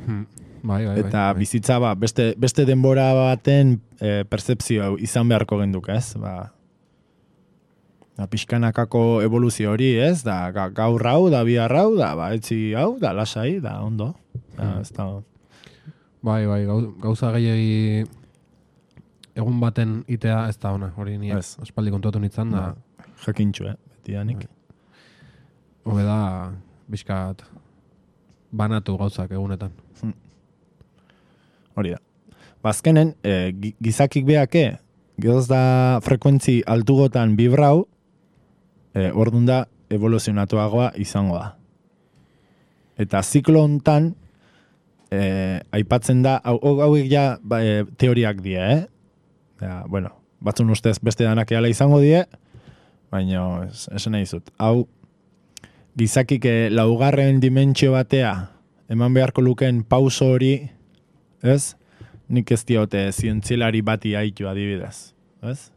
Hmm. Bai, bai, Eta bai, bizitza ba, beste, beste denbora baten e, percepzio izan beharko genduke, ez? Ba, da, pixkanakako evoluzio hori, ez? Da, ga, gaur hau, da bihar hau, da, ba, etzi hau, da, lasai, da, ondo. Da, ez da... bai, bai, gau- gauza gehiagi egun baten itea ez da ona, hori ni Ez. aspaldi kontuatu nintzen da, Jakintxu, eh? Betidanik. hobe da, bizkat banatu gauzak egunetan. Hori da. Bazkenen, e, gizakik beake, gehoz da frekuentzi altugotan bibrau, e, ordun da evoluzionatuagoa izango da. Eta ziklo hontan, e, aipatzen da, hau, hauek ja ba, e, teoriak die, eh? Ja, bueno, batzun ustez beste danak eala izango die, baina es, esan nahi zut. Hau, gizakik e, laugarren dimentsio batea, eman beharko luken pauso hori, ez? Nik ez diote zientzialari bati haitu adibidez, ez?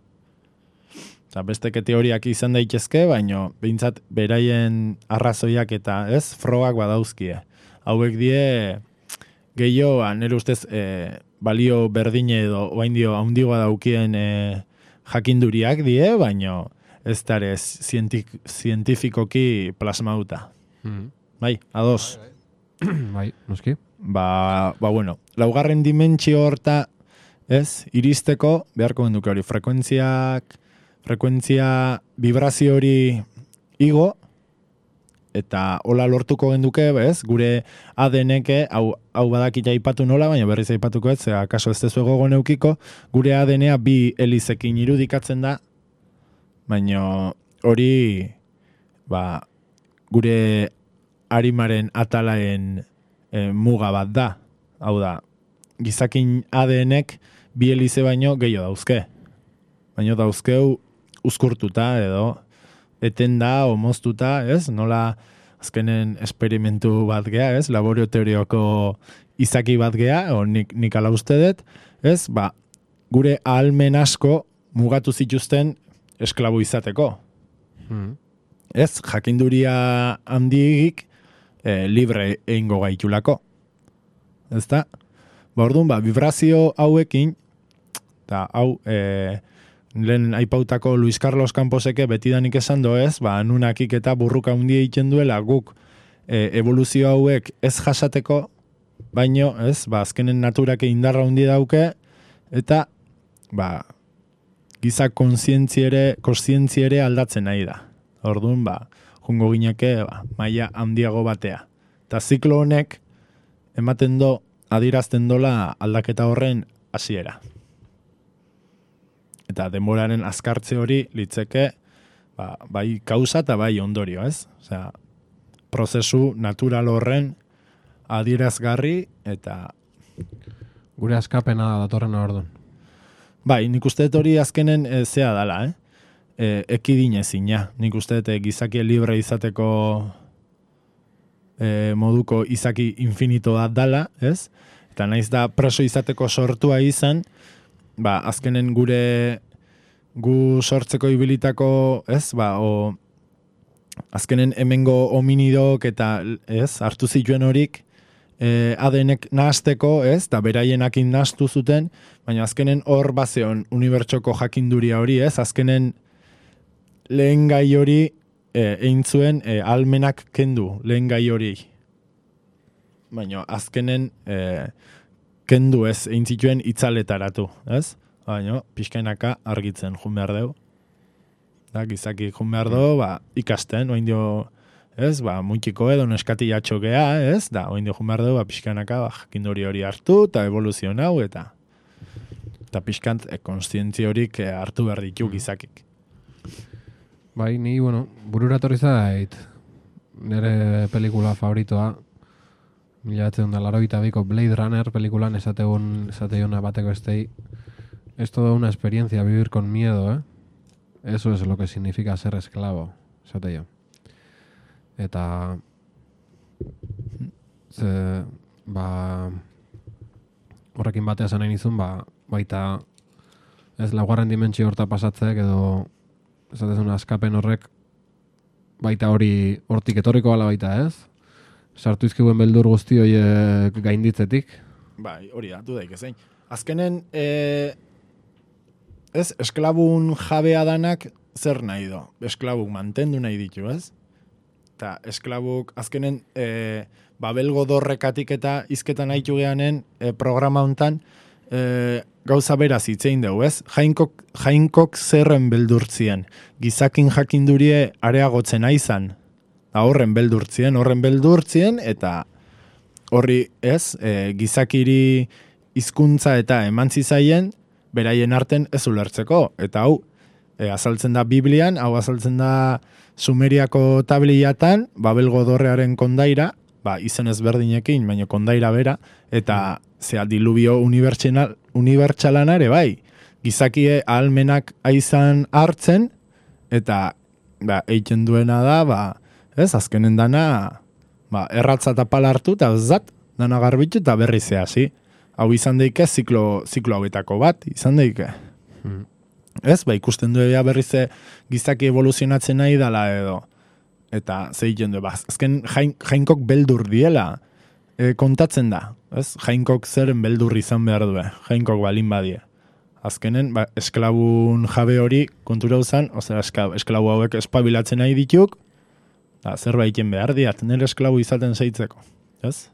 Eta besteke teoriak izan daitezke, baino behintzat beraien arrazoiak eta, ez? Frogak badauzkie. Hauek die gehiago, nire ustez, e, balio berdine edo oain dio haundigoa daukien e, jakinduriak die, baino ez dara zientik, zientifikoki plasmauta. Hmm. Bai, ados. Bai, noski. Ba, ba bueno, laugarren dimentsio horta, ez, iristeko, beharko genduke hori, frekuentziak, frekuentzia vibrazio hori igo, eta hola lortuko genduke, ez, gure A D N-ke, hau, hau badakita aipatu nola, baina berriz aipatuko ez, zera, kaso ez tezu egogo neukiko, gure A D N-a bi helizekin irudikatzen da, baina hori, ba, gure arimaren atalaen e, muga bat da. Hau da, gizakin A D N-ek bi helize baino gehiago dauzke. Baino dauzkeu uzkurtuta edo etenda o moztuta, ez? Nola azkenen esperimentu bat gea, ez? Laborio teorioko izaki bat gea, o nik, nik ala uste dut, ez? Ba, gure ahalmen asko mugatu zituzten esklabo izateko. Hmm. Ez, jakinduria handigik e, libre egingo gaitulako. Ez da? Ba, orduan, ba, vibrazio hauekin, eta hau, e, lehen aipautako Luis Carlos Camposeke betidanik esan doez, ba, nunakik eta burruka handia egiten duela guk e, evoluzio hauek ez jasateko, baino, ez, ba, azkenen naturak indarra handi dauke, eta, ba, giza kontzientziere, kontzientziere aldatzen nahi da. Orduan, ba, jungo gineke, ba, maila handiago batea. Eta ziklo honek, ematen do, adierazten dola aldaketa horren hasiera. Eta denboraren azkartze hori litzeke, ba, bai kausa eta bai ondorio, ez? Osea, prozesu natural horren adierazgarri eta... Gure askapena da datorren orduan. Bai, nik uste dut hori azkenen e, zea dala, eh? E, ekidinezina. Nik uste dut e, gizaki libre izateko e, moduko izaki infinito bat dala, ez? Eta naiz da preso izateko sortua izan, ba, azkenen gure gu sortzeko ibilitako, ez? Ba, o, azkenen hemengo hominidok eta, ez? Hartu zituen horik, E, A D N-ek nahasteko, ez, eta beraienakin nahastu zuten, baina azkenen hor bazeon unibertsoko jakinduria hori, ez, azkenen lehen gai hori e, egin zuen e, almenak kendu lehen gai hori. Baina azkenen e, kendu ez egin zituen itzaletaratu, ez? Baina pixkainaka argitzen jun behar dugu. Da, gizaki jun behar dugu, ba, ikasten, oin dio, ez, ba, muntiko edo neskati jatxokea, ez? Da, oin dio jun behar dugu, ba, pixkainaka, ba, jakindori hori hartu, eta evoluzion hau, eta eta pixkant e, konstientzia horik e, hartu behar ditu gizakik. Bai, ni, bueno, burura torri zait, nire pelikula favoritoa, mila batzen da larogeita biko Blade Runner pelikulan esategun, esateuna bateko estei, es toda una experiencia vivir con miedo, ¿eh? Eso es lo que significa ser esclavo, esate yo. Eta, ze, ba, horrekin batea esan nahi nizun, ba, baita, ez laugarren dimentsio horta pasatzek, edo, esatezuna askapen horrek, baita hori, hortik etorriko bala baita, ez? Sartu izkibuen beldur guzti horiek gainditzetik. Bai, hori da, du daik ezein. Azkenen, e, ez, esklabun jabea danak zer nahi do? Esklabuk mantendu nahi ditu, ez? Eta esklabuk, azkenen, e, babelgo dorrekatik eta izketan haitu geanen e, programa hontan e, gauza beraz itzein dugu, ez? Jainkok, jainkok zerren beldurtzien. Gizakin jakindurie areagotzen aizan. Horren beldurtzien, horren beldurtzien, eta horri, ez, e, gizakiri hizkuntza eta emantzi zaien, beraien arten ez ulertzeko. Eta hau, e, azaltzen da Biblian, hau azaltzen da Sumeriako tabliatan, Babelgo dorrearen kondaira, ba, izen ezberdinekin, baina kondaira bera, eta zea diluvio unibertsalana unibertsalan ere, bai, gizakie ahalmenak aizan hartzen, eta ba, eitzen duena da, ba, ez, azkenen dana, ba, erratza eta pala hartu, eta zat, dana garbitu eta berri zehasi. Hau izan daike ziklo, ziklo hauetako bat, izan daike. Hmm. Ez, ba, ikusten du ea berri ze gizaki evoluzionatzen nahi dala edo. Eta ze egiten du, ba, azken jain, jainkok beldur diela e, kontatzen da. Ez, jainkok zeren beldur izan behar du, jainkok balin badie. Azkenen, ba, esklabun jabe hori kontura uzan, ozera esklabu hauek espabilatzen nahi dituk, da, zerbaiten behar diat, nire esklabu izaten zeitzeko, ez?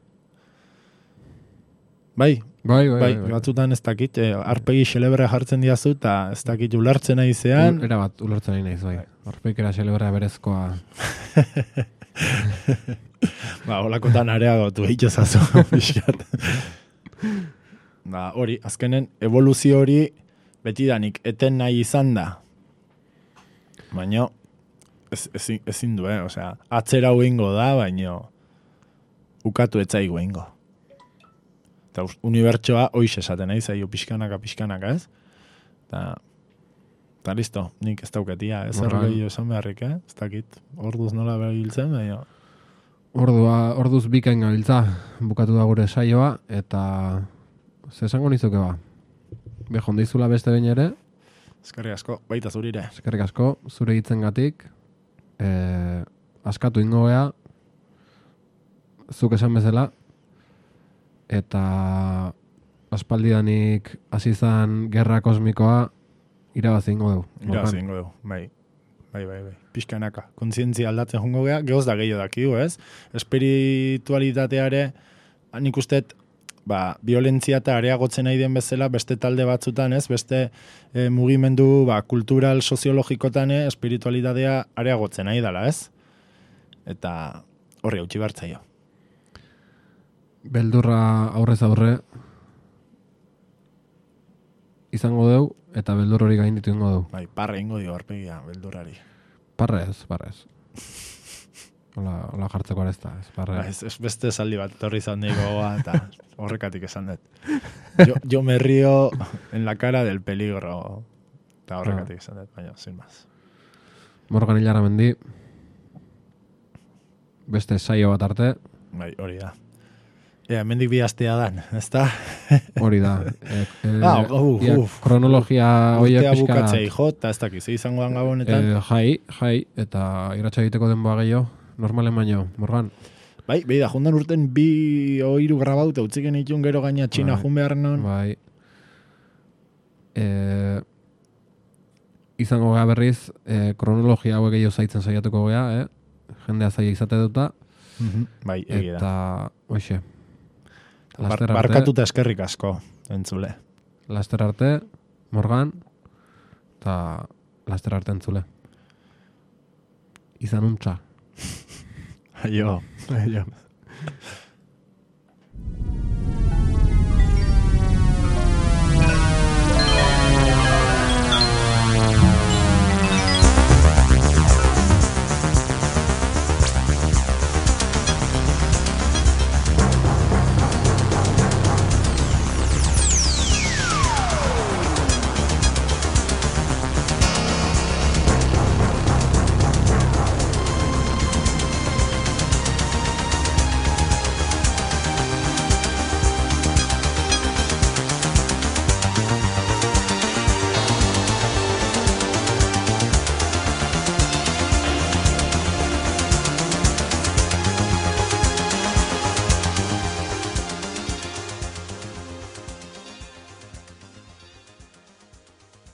Bai, bai, bai, bai, bai, bai. batzutan ez dakit, eh, arpegi xelebre jartzen diazu, eta ez dakit ulertzen nahi zean. Era bat, ulertzen nahi naiz, bai. Arpegikera xelebrea berezkoa. Ba, holakotan areagotu egitezazu, pixkat. Ba, hori, azkenen, evoluzio hori betidanik eten nahi izan da. Baina, Ez, ezin, ezin du, eh? Osea, atzera huingo da, baino ukatu etzaigu huingo. Eta unibertsoa hoiz esaten, nahi zaio pixkanaka, pixkanaka, ez? Eta, eta listo, nik ez dauketia, ez erroi esan beharrik, eh? Ez dakit, orduz nola behabiltzen, baina... Ordua, orduz bikain gabiltza, bukatu da gure saioa, eta ze esango nizuke ba? Behon dizula beste behin ere? Eskerrik asko, baita zurire. Eskerrik asko, zure hitzengatik. Eh, askatu ingo gea, zuk esan bezala, eta aspaldidanik hasi izan gerra kosmikoa irabazi ingo dugu. Irabazi ingo dugu, bai. Bai, bai, bai. Pixkanaka. Kontzientzia aldatzen jongo gea, gehoz da gehiago dakigu, ez? Espiritualitateare, nik ustet, ba, violentzia eta areagotzen nahi den bezala, beste talde batzutan, ez? Beste e, mugimendu, ba, kultural, soziologikotan, eh, espiritualitatea areagotzen nahi dela, ez? Eta horri hautsi bartzaio. Beldurra aurrez aurre izango dugu, eta beldur hori gainditu ingo dugu. Bai, parre ingo dio arpegia, beldurrari. Parrez, parrez. Hola, hola jartzeko arezta, ez parre. Ba, ez, ez beste saldi bat torri izan gogoa, eta horrekatik esan dut. Yo, yo me río en la cara del peligro. Eta horrekatik esan dut, baina, sin más. Morgan Hilara mendi. Beste saio bat arte. Bai, hori da. Ea, mendik bi astea dan, ezta? Hori da. E, e, ah, uf, ia, uf. Kronologia hoiek pixka. Urtea pixka. bukatzei jo, eta ez dakiz, izango dan gabonetan. E, jai, jai, eta iratxa egiteko denboa gehiago. Normalen baino, Morgan. Bai, behi da, jundan urten bi oiru grabauta, utziken itun gero gaina txina bai, jun behar non. Bai. E, izango gea berriz, eh, kronologia hauek gehiago zaitzen saiatuko gea, eh? Jendea zaila izate duta. Mm-hmm. Bai, egia da. Eta, hoxe. Bar, barkatuta eskerrik asko, entzule. Laster arte, Morgan, eta laster arte entzule. Izan untxa. Aio, aio.